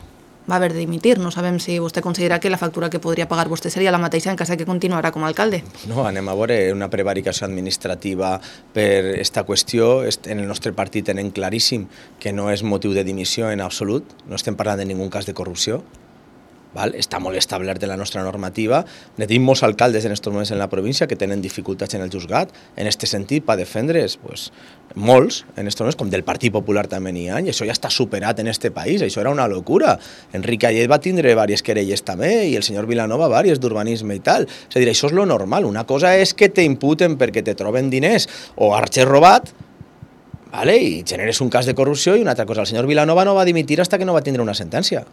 va haver de dimitir. No sabem si vostè considera que la factura que podria pagar vostè seria la mateixa en cas que continuarà com a alcalde. No, anem a veure una prevaricació administrativa per esta qüestió. En el nostre partit tenen claríssim que no és motiu de dimissió en absolut, no estem parlant de ningun cas de corrupció. Està molt establert en la nostra normativa. Tenim molts alcaldes en aquests moments en la província que tenen dificultats en el juzgat. En aquest sentit, per defendre's, molts, en aquests moments, com del Partit Popular també n'hi ha, i això ja està superat en aquest país, això era una locura. Enric Ayet va tindre diverses querelles també, i el senyor Vilanova diverses d'urbanisme i tal. És a dir, això és lo normal. Una cosa és que t'imputen perquè te troben diners o arxer robat, i generes un cas de corrupció, i una altra cosa, el senyor Vilanova no va dimitir fins que no va tindre una sentència.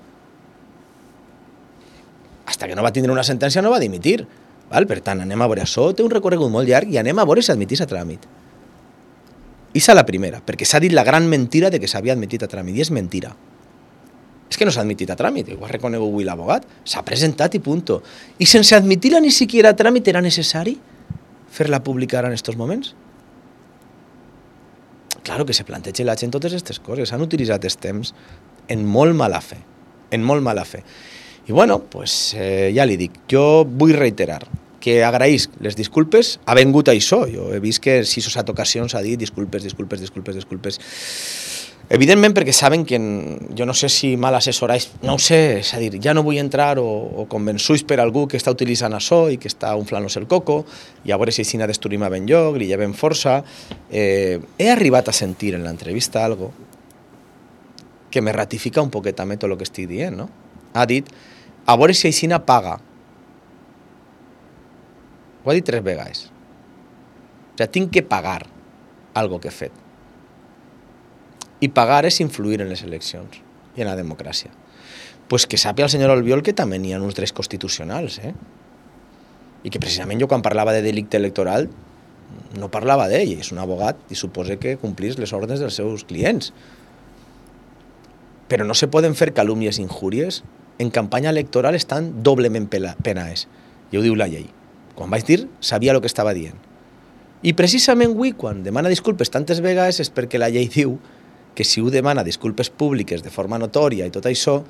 Hasta que no va tindre una sentència no va dimitir. Per tant, anem a veure això, té un recorregut molt llarg i anem a veure si admitís a tràmit. I és la primera, perquè s'ha dit la gran mentira de que s'havia admitit a tràmit, i és mentira. És que no s'ha admitit a tràmit, ho ha reconegut avui l'abogat, s'ha presentat i punto. I sense admitir-la ni siquiera a tràmit era necessari fer-la publicar en aquests moments? Claro que se planteja la gent totes aquestes coses, s'han utilitzat els temps en molt mala fe, I bueno, ja li dic, jo vull reiterar que agraïsc les disculpes, ha vengut això, jo he vist que en 6 o 7 ocasions ha dit disculpes. Evidentment perquè saben que jo no sé si mal assessorats, no ho sé, és a dir, ja no vull entrar o convençuts per algú que està utilitzant això i que està unflant-nos el coco, i a veure si així destruïm a ben lloc, li llevem força. He arribat a sentir en l'entrevista algo que me ratifica un poquet també tot el que estic dient, no? Ha dit, a veure si Aixina paga. Ho ha dit 3 vegades. O sigui, tinc que pagar algo que he fet. I pagar és influir en les eleccions i en la democràcia. Pues que sàpiga el senyor Albiol que també n'hi ha uns drets constitucionals, I que precisament jo quan parlava de delicte electoral no parlava d'ell, és un abogat i suposa que complís les ordres dels seus clients. Però no se poden fer calúmnies i injúries en campanya electoral estan doblement penades. I ho diu la llei. Quan vaig dir, sabia el que estava dient. I precisament avui, quan demana disculpes tantes vegades, és perquè la llei diu que si ho demana disculpes públiques de forma notòria i tot això,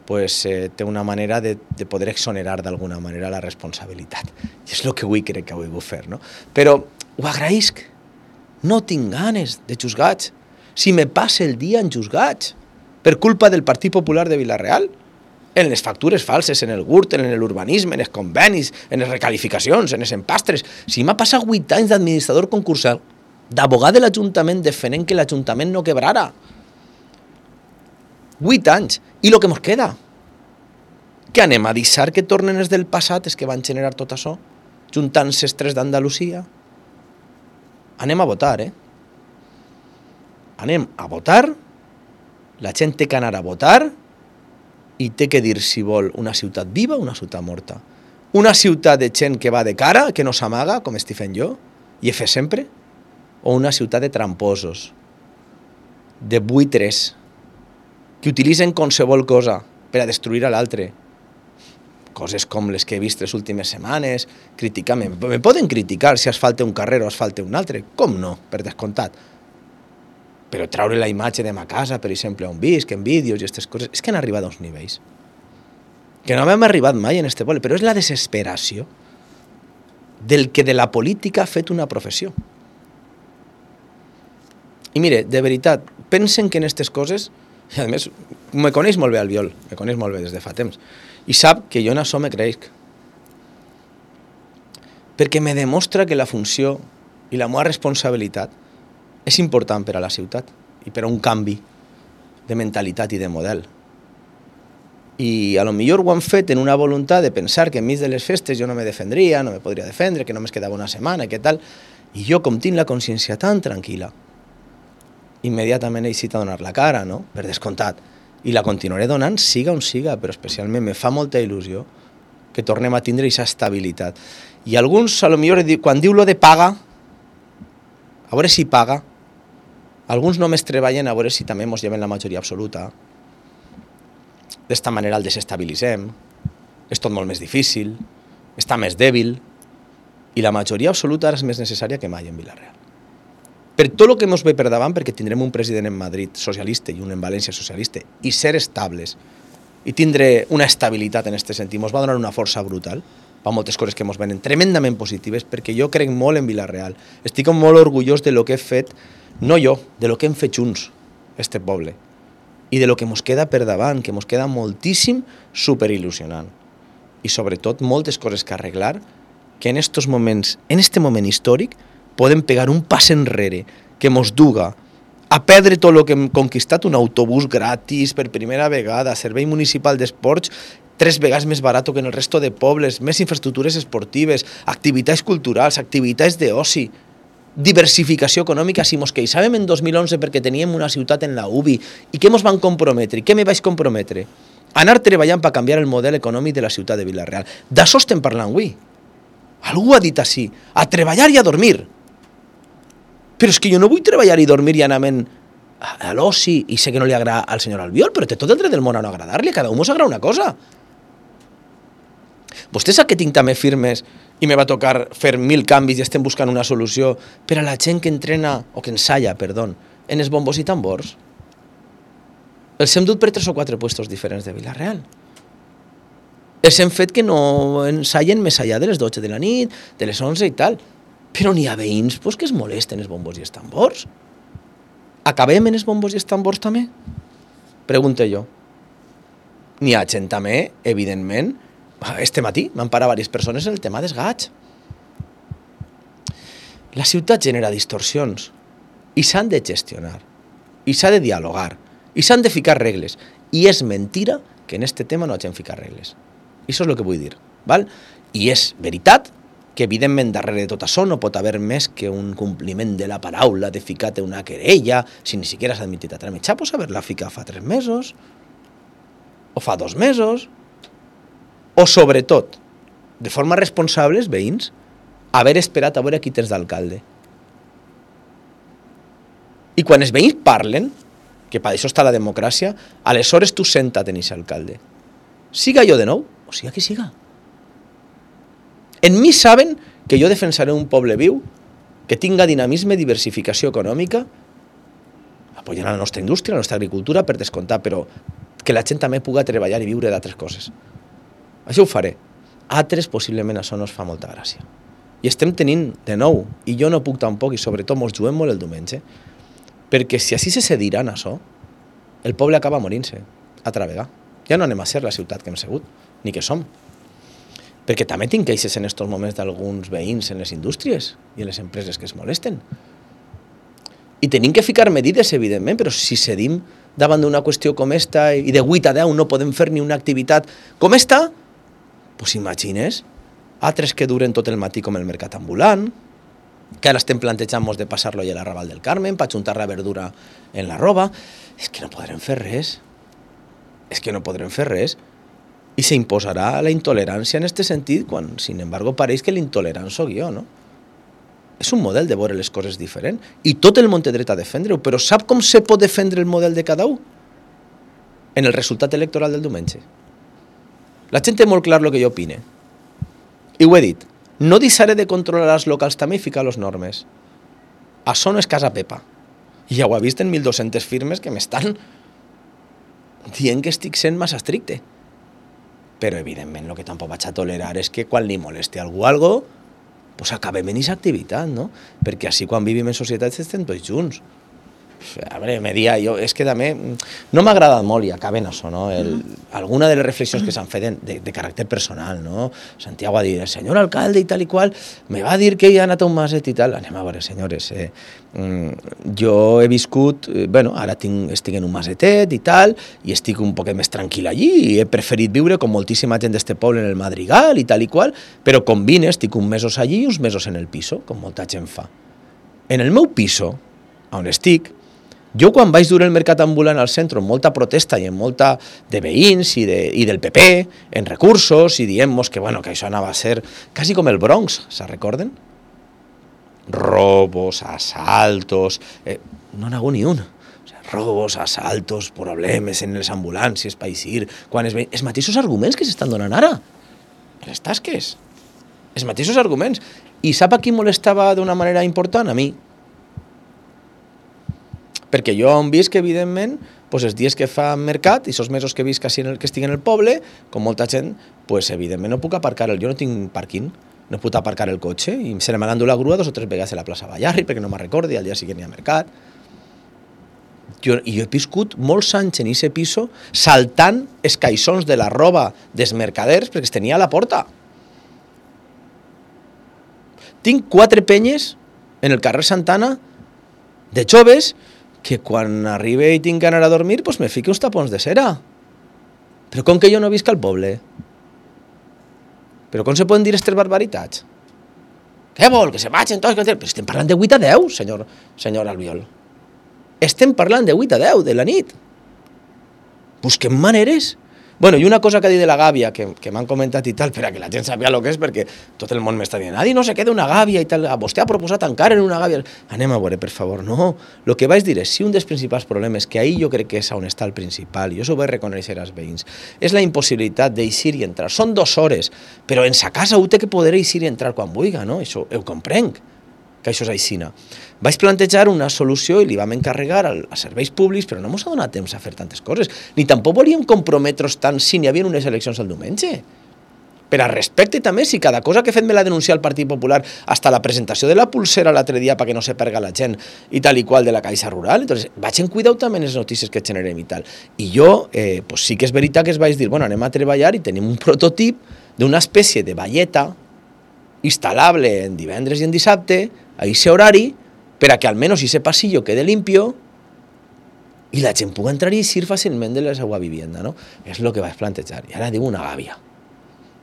pues, té una manera de poder exonerar d'alguna manera la responsabilitat. I és el que avui crec que avui vull fer, no? Però ho agraïsc. No tinc ganes de juzgats. Si me passa el dia en juzgats, per culpa del Partit Popular de Vila-real, en les factures falses, en el Gürtel, en l'urbanisme, en els convenis, en les recalificacions, en els empastres. Si m'ha passat 8 anys d'administrador concursal, d'abogat de l'Ajuntament defendent que l'Ajuntament no quebrara. 8 anys. I el que ens queda? Que anem a deixar que tornen els del passat, els que van generar tot això, juntant-se els 3 d'Andalusia? Anem a votar, Anem a votar, la gent té que anar a votar i té que dir si vol una ciutat viva o una ciutat morta. Una ciutat de gent que va de cara, que no s'amaga, com estic fent jo, i he fet sempre, o una ciutat de tramposos, de buitres, que utilitzen qualsevol cosa per a destruir a l'altre. Coses com les que he vist les últimes setmanes, criticar-me. Me poden criticar si asfalte un carrer o asfalte un altre, com no, per descomptat. Però traure la imatge de ma casa, per exemple, on visc, en vídeos i aquestes coses, és que han arribat a uns nivells que no hem arribat mai en este poble, però és la desesperació del que de la política ha fet una professió. I mire, de veritat, pensen que en aquestes coses, i a més, me coneix molt bé Albiol, me coneix molt bé des de fa temps, i sap que jo en això me creix, perquè me demostra que la funció i la meva responsabilitat és important per a la ciutat i per a un canvi de mentalitat i de model. I a lo millor ho han fet en una voluntat de pensar que enmig de les festes jo no me defendria, no me podria defendre, que només quedava una setmana, que tal. I jo, com tinc la consciència tan tranquil·la, immediatament he decidit a donar la cara, no? Per descomptat. I la continuaré donant, siga on siga, però especialment me fa molta il·lusió que tornem a tindre aquesta estabilitat. I alguns, a lo millor, quan diu lo de paga, a veure si paga, alguns només treballen a veure si també ens lleven la majoria absoluta. D'esta manera el desestabilitzem, és tot molt més difícil, està més dèbil, i la majoria absoluta ara és més necessària que mai en Vila-real. Per tot el que ens ve per davant, perquè tindrem un president en Madrid socialista i un en València socialista, i ser estables, i tindre una estabilitat en aquest sentit, ens va donar una força brutal, per moltes coses que ens venen tremendament positives, perquè jo crec molt en Vila-real. Estic molt orgullós de lo que he fet, no jo, de lo que hem fet junts, este poble, i de lo que ens queda per davant, que ens queda moltíssim superil·lusionant. I sobretot moltes coses que arreglar, que en estos moments, en este moment històric, podem pegar un pas enrere que ens duga a perdre tot el que hem conquistat, un autobús gratis per primera vegada, servei municipal d'esports 3 vegades més barat que en el resto de pobles, més infraestructures esportives, activitats culturals, activitats d'oci, diversificació econòmica. Si mos queixàvem en 2011 perquè teníem una ciutat en la UBI, i què mos van comprometre? I què me vaig comprometre? Anar treballant per canviar el model econòmic de la ciutat de Vila-real. D'això estem parlant avui. Algú ha dit així, a treballar i a dormir. Però és que jo no vull treballar i dormir i anar a l'oci, i sé que no li agrada al senyor Albiol, però té tot el dret del món a no agradar-li, a cada un mos agrada una cosa. Vostè sap que tinc també firmes i me va tocar fer 1000 canvis i estem buscant una solució per a la gent que entrena, o que ensalla, perdó, en els bombos i tambors. Els hem dut per 3 o 4 puestos diferents de Vila-real. Els hem fet que no ensaien més allà de les 12 de la nit, de les 11 i tal. Però n'hi ha veïns que es molesten els bombos i els tambors. Acabem en els bombos i els tambors també? Pregunto jo. N'hi ha gent també, evidentment. Este matí m'han parat diverses persones en el tema dels gats. La ciutat genera distorsions i s'han de gestionar, i s'ha de dialogar, i s'han de ficar regles. I és mentira que en este tema no hagin ficat regles. I això és el que vull dir. Val? I és veritat que evidentment darrere de tot això no pot haver més que un compliment de la paraula de ficar-te una querella si ni siquiera s'ha admitit a tramitar. Pots haver-la ficat fa 3 mesos o fa 2 mesos, o sobretot, de forma responsable, els veïns, haver esperat a veure qui tens d'alcalde. I quan els veïns parlen, que per això està la democràcia, aleshores tu senta't en aquest alcalde. siga jo de nou, o siga qui siga. En mi saben que jo defensaré un poble viu, que tinga dinamisme, diversificació econòmica, apoyant la nostra indústria, la nostra agricultura, per descomptar, però que la gent també puga treballar i viure d'altres coses. Això ho faré. Altres, possiblement, això no es fa molta gràcia. I estem tenint, de nou, i jo no puc tampoc, i sobretot mos juguem molt el diumenge, perquè si així se cediran això, el poble acaba morint-se, altra vegada. Ja no anem a ser la ciutat que hem sigut, ni que som. Perquè també tinc queixes en aquests moments d'alguns veïns en les indústries i en les empreses que es molesten. I tenim que ficar medides, evidentment, però si cedim davant d'una qüestió com esta i de 8 a 10 no podem fer ni una activitat com esta, doncs imagines altres que duren tot el matí com el mercat ambulant, que ara estem plantejant-nos de passar-lo a la Raval del Carmen per ajuntar la verdura en la roba. És que no podrem fer res. És que no podrem fer res. I s'imposarà la intolerància en aquest sentit quan, sin embargo, pareix que l'intolerant soc jo, no? És un model de veure les coses diferent i tot el món té dret a defendre-ho, però sap com se pot defendre el model de cada un? En el resultat electoral del diumenge. La gent té molt clar el que jo opine. I ho he dit, no deixaré de controlar els locals també i ficar les normes. Això no és casa Pepa. I ja ho ha vist en 1.200 firmes que m'estan dient que estic sent massa estricte. Però, evidentment, el que tampoc vaig a tolerar és que quan li molesti a algú pues acabem en aquesta activitat, no? Perquè així quan vivim en societats estem tots junts. A veure, me dia, jo, és que també no m'ha agradat molt i acaben això, no? Alguna de les reflexions que s'han fet de caràcter personal, no? Santiago ha dit, el senyor alcalde i tal i qual, me va dir que hi ha anat a un maset i tal. Anem a veure, senyores, jo he viscut, bueno, ara estic en un masetet i tal, i estic un poquet més tranquil allí, i he preferit viure com moltíssima gent d'este poble en el Madrigal i tal i qual, però combine, estic uns mesos allí i uns mesos en el piso, com molta gent fa. En el meu piso, on estic, jo quan vaig dur el mercat ambulant al centre amb molta protesta i amb molta de veïns i del PP en recursos i dient-nos que, bueno, que això anava a ser quasi com el Bronx, se recorden? Robos, asaltos, no n'hi ha hagut ni un. O sigui, robos, asaltos, problemes en les ambulàncies, paisir, quan els mateixos arguments que s'estan donant ara, en les tasques, els mateixos arguments. I sap a qui molestava d'una manera important? A mi. Perquè jo hem vist que, evidentment, pues els dies que fa mercat i els mesos que he vist que estic en el poble, com molta gent, pues, evidentment no puc aparcar jo no tinc parking, no puc aparcar el cotxe i se me l'han dut la grua 2 o 3 vegades a la plaça Ballarri perquè no me'n recordi, al dia següent hi ha mercat. Jo he viscut molts anys en aquest piso saltant els caixons de la roba dels mercaders perquè es tenia a la porta. Tinc 4 penyes en el carrer Santana de joves que quan arribe i tinc que anar a dormir, pues me fique uns tapons de cera. Però com que jo no visc al poble? Però com se poden dir aquestes barbaritats? Què vol? Que se vagin tots? Però estem parlant de 8 a 10, senyor Albiol. Estem parlant de 8 a 10 de la nit. Busquem maneres. Bueno, i una cosa que ha dit de la gàbia, que m'han comentat i tal, per a que la gent sàpiga el que és, perquè tot el món m'està dient, no se queda una gàbia i tal, vostè ha proposat encara en una gàbia. Anem a veure, per favor, no. El que vaig dir és, si un dels principals problemes, que ahir jo crec que és on està el principal, i jo s'ho vaig reconèixer als veïns, és la impossibilitat d'eixir i entrar. Són 2 hores, però en sa casa ho té que poder eixir i entrar quan vulgui, no? Això ho comprenc, que això és aixina. Vaig plantejar una solució i li vam encarregar als serveis públics, però no ens ha donat temps a fer tantes coses, ni tampoc volíem comprometre's tant si n'hi havia unes eleccions el diumenge. Per a respecte també, si cada cosa que he fet me l'ha denunciat el Partit Popular, hasta la presentació de la pulsera l'altre dia perquè no se perga la gent i tal i qual de la Caixa Rural, entonces vaig en cuidar també les notícies que generem i tal. I jo, pues sí que és veritat que es vaig dir, bueno, anem a treballar i tenim un prototip d'una espècie de valleta instal·lable en divendres i en dissabte, a aquest horari, per a que almenys aquest passillo quede limpio i la gent pugui entrar i eixir fàcilment de la seva vivienda, no? És el que vaig plantejar. I ara diu una gàbia.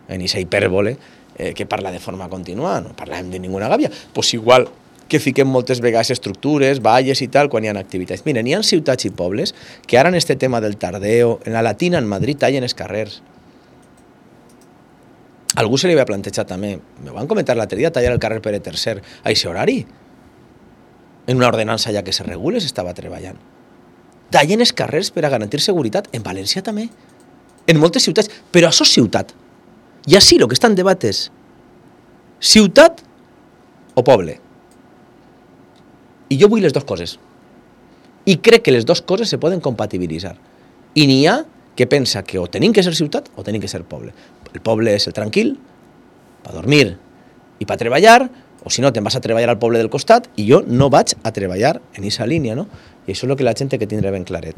En aquesta hipèrbole que parla de forma contínua, no parlem de ninguna gàbia. Pues igual que fiquem moltes vegades estructures, valles i tal, quan hi ha activitats. Miren, hi ha ciutats i pobles que ara en este tema del tardeo, en la Latina, en Madrid, tallen els carrers. Algú se li va plantejar també, me van comentar l'altre dia, tallar el carrer Pere III a aquest horari. En una ordenança ja que se regule s'estava treballant. Tallen els carrers per a garantir seguretat. En València també. en moltes ciutats, però això és ciutat. I així el que està en debat és ciutat o poble. I jo vull les dues coses. I crec que les dues coses se poden compatibilitzar. I n'hi ha que pensa que o tenim que ser ciutat o tenim que ser poble. El poble és el tranquil, per dormir i per treballar, o si no, te'n vas a treballar al poble del costat, i jo no vaig a treballar en aquesta línia, no? I això és el que la gent té que tindre ben claret.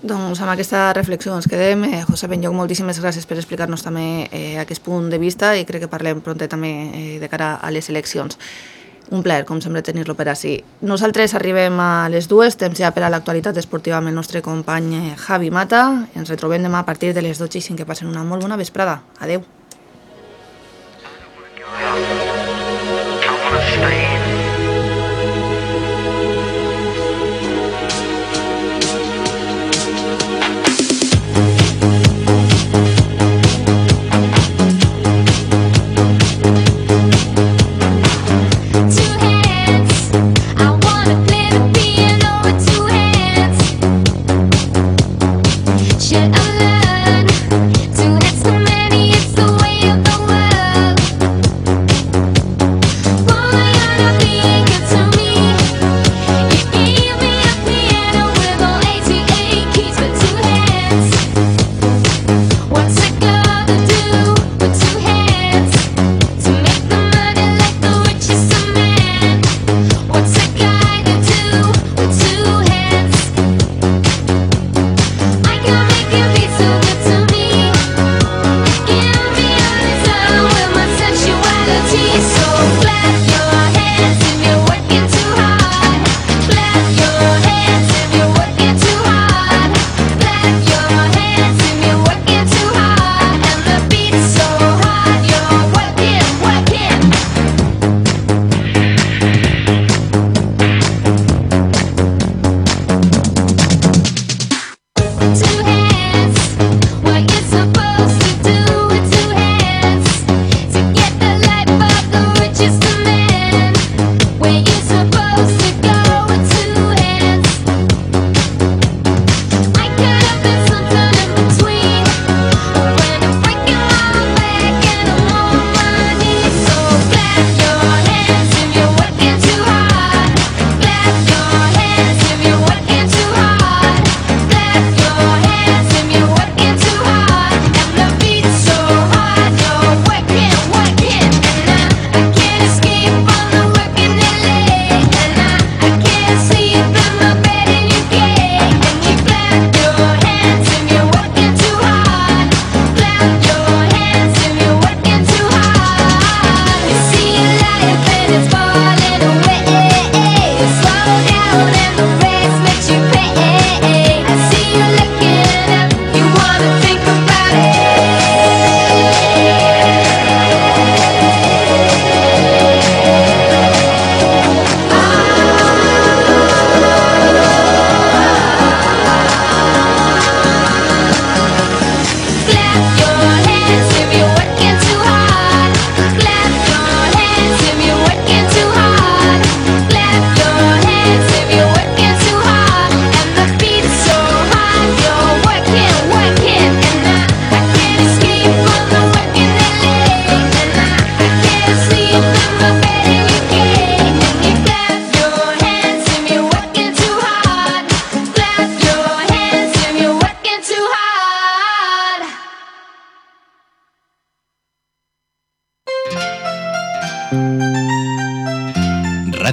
Doncs amb aquesta reflexió ens quedem. José Benlloch, moltíssimes gràcies per explicar-nos també aquest punt de vista i crec que parlem prompte també de cara a les eleccions. Un plaer, com sempre, tenir-lo per ací. Nosaltres arribem a les 2, temps ja per a l'actualitat esportiva amb el nostre company Javi Mata. Ens retrobem demà a partir de les 12:05. Que passen una molt bona vesprada. Adeu.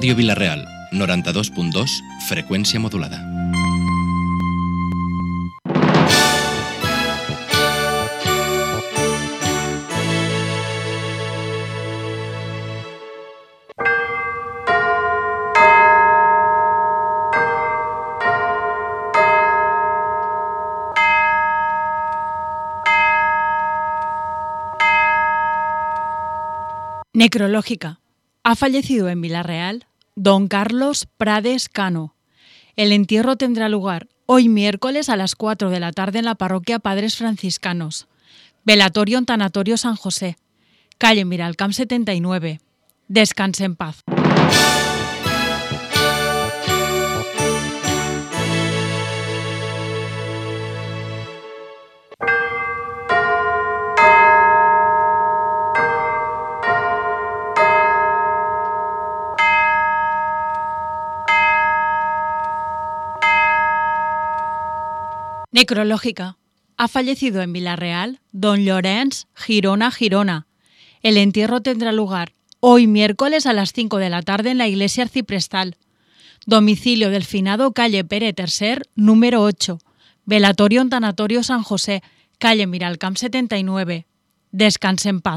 Ràdio Vila-real, 92.2, freqüència modulada. Necrológica. Ha fallecido en Vila-real don Carlos Prades Cano. El entierro tendrá lugar hoy miércoles a las 4 de la tarde en la parroquia Padres Franciscanos. Velatorio en Tanatorio San José. Calle Miralcamp 79. Descanse en paz. Necrológica. Ha fallecido en Villarreal don Llorenç Girona. El entierro tendrá lugar hoy miércoles a las 5 de la tarde en la iglesia arciprestal. Domicilio del finado, calle Pere III, número 8. Velatorio en Tanatorio San José, calle Miralcamp 79. Descanse en paz.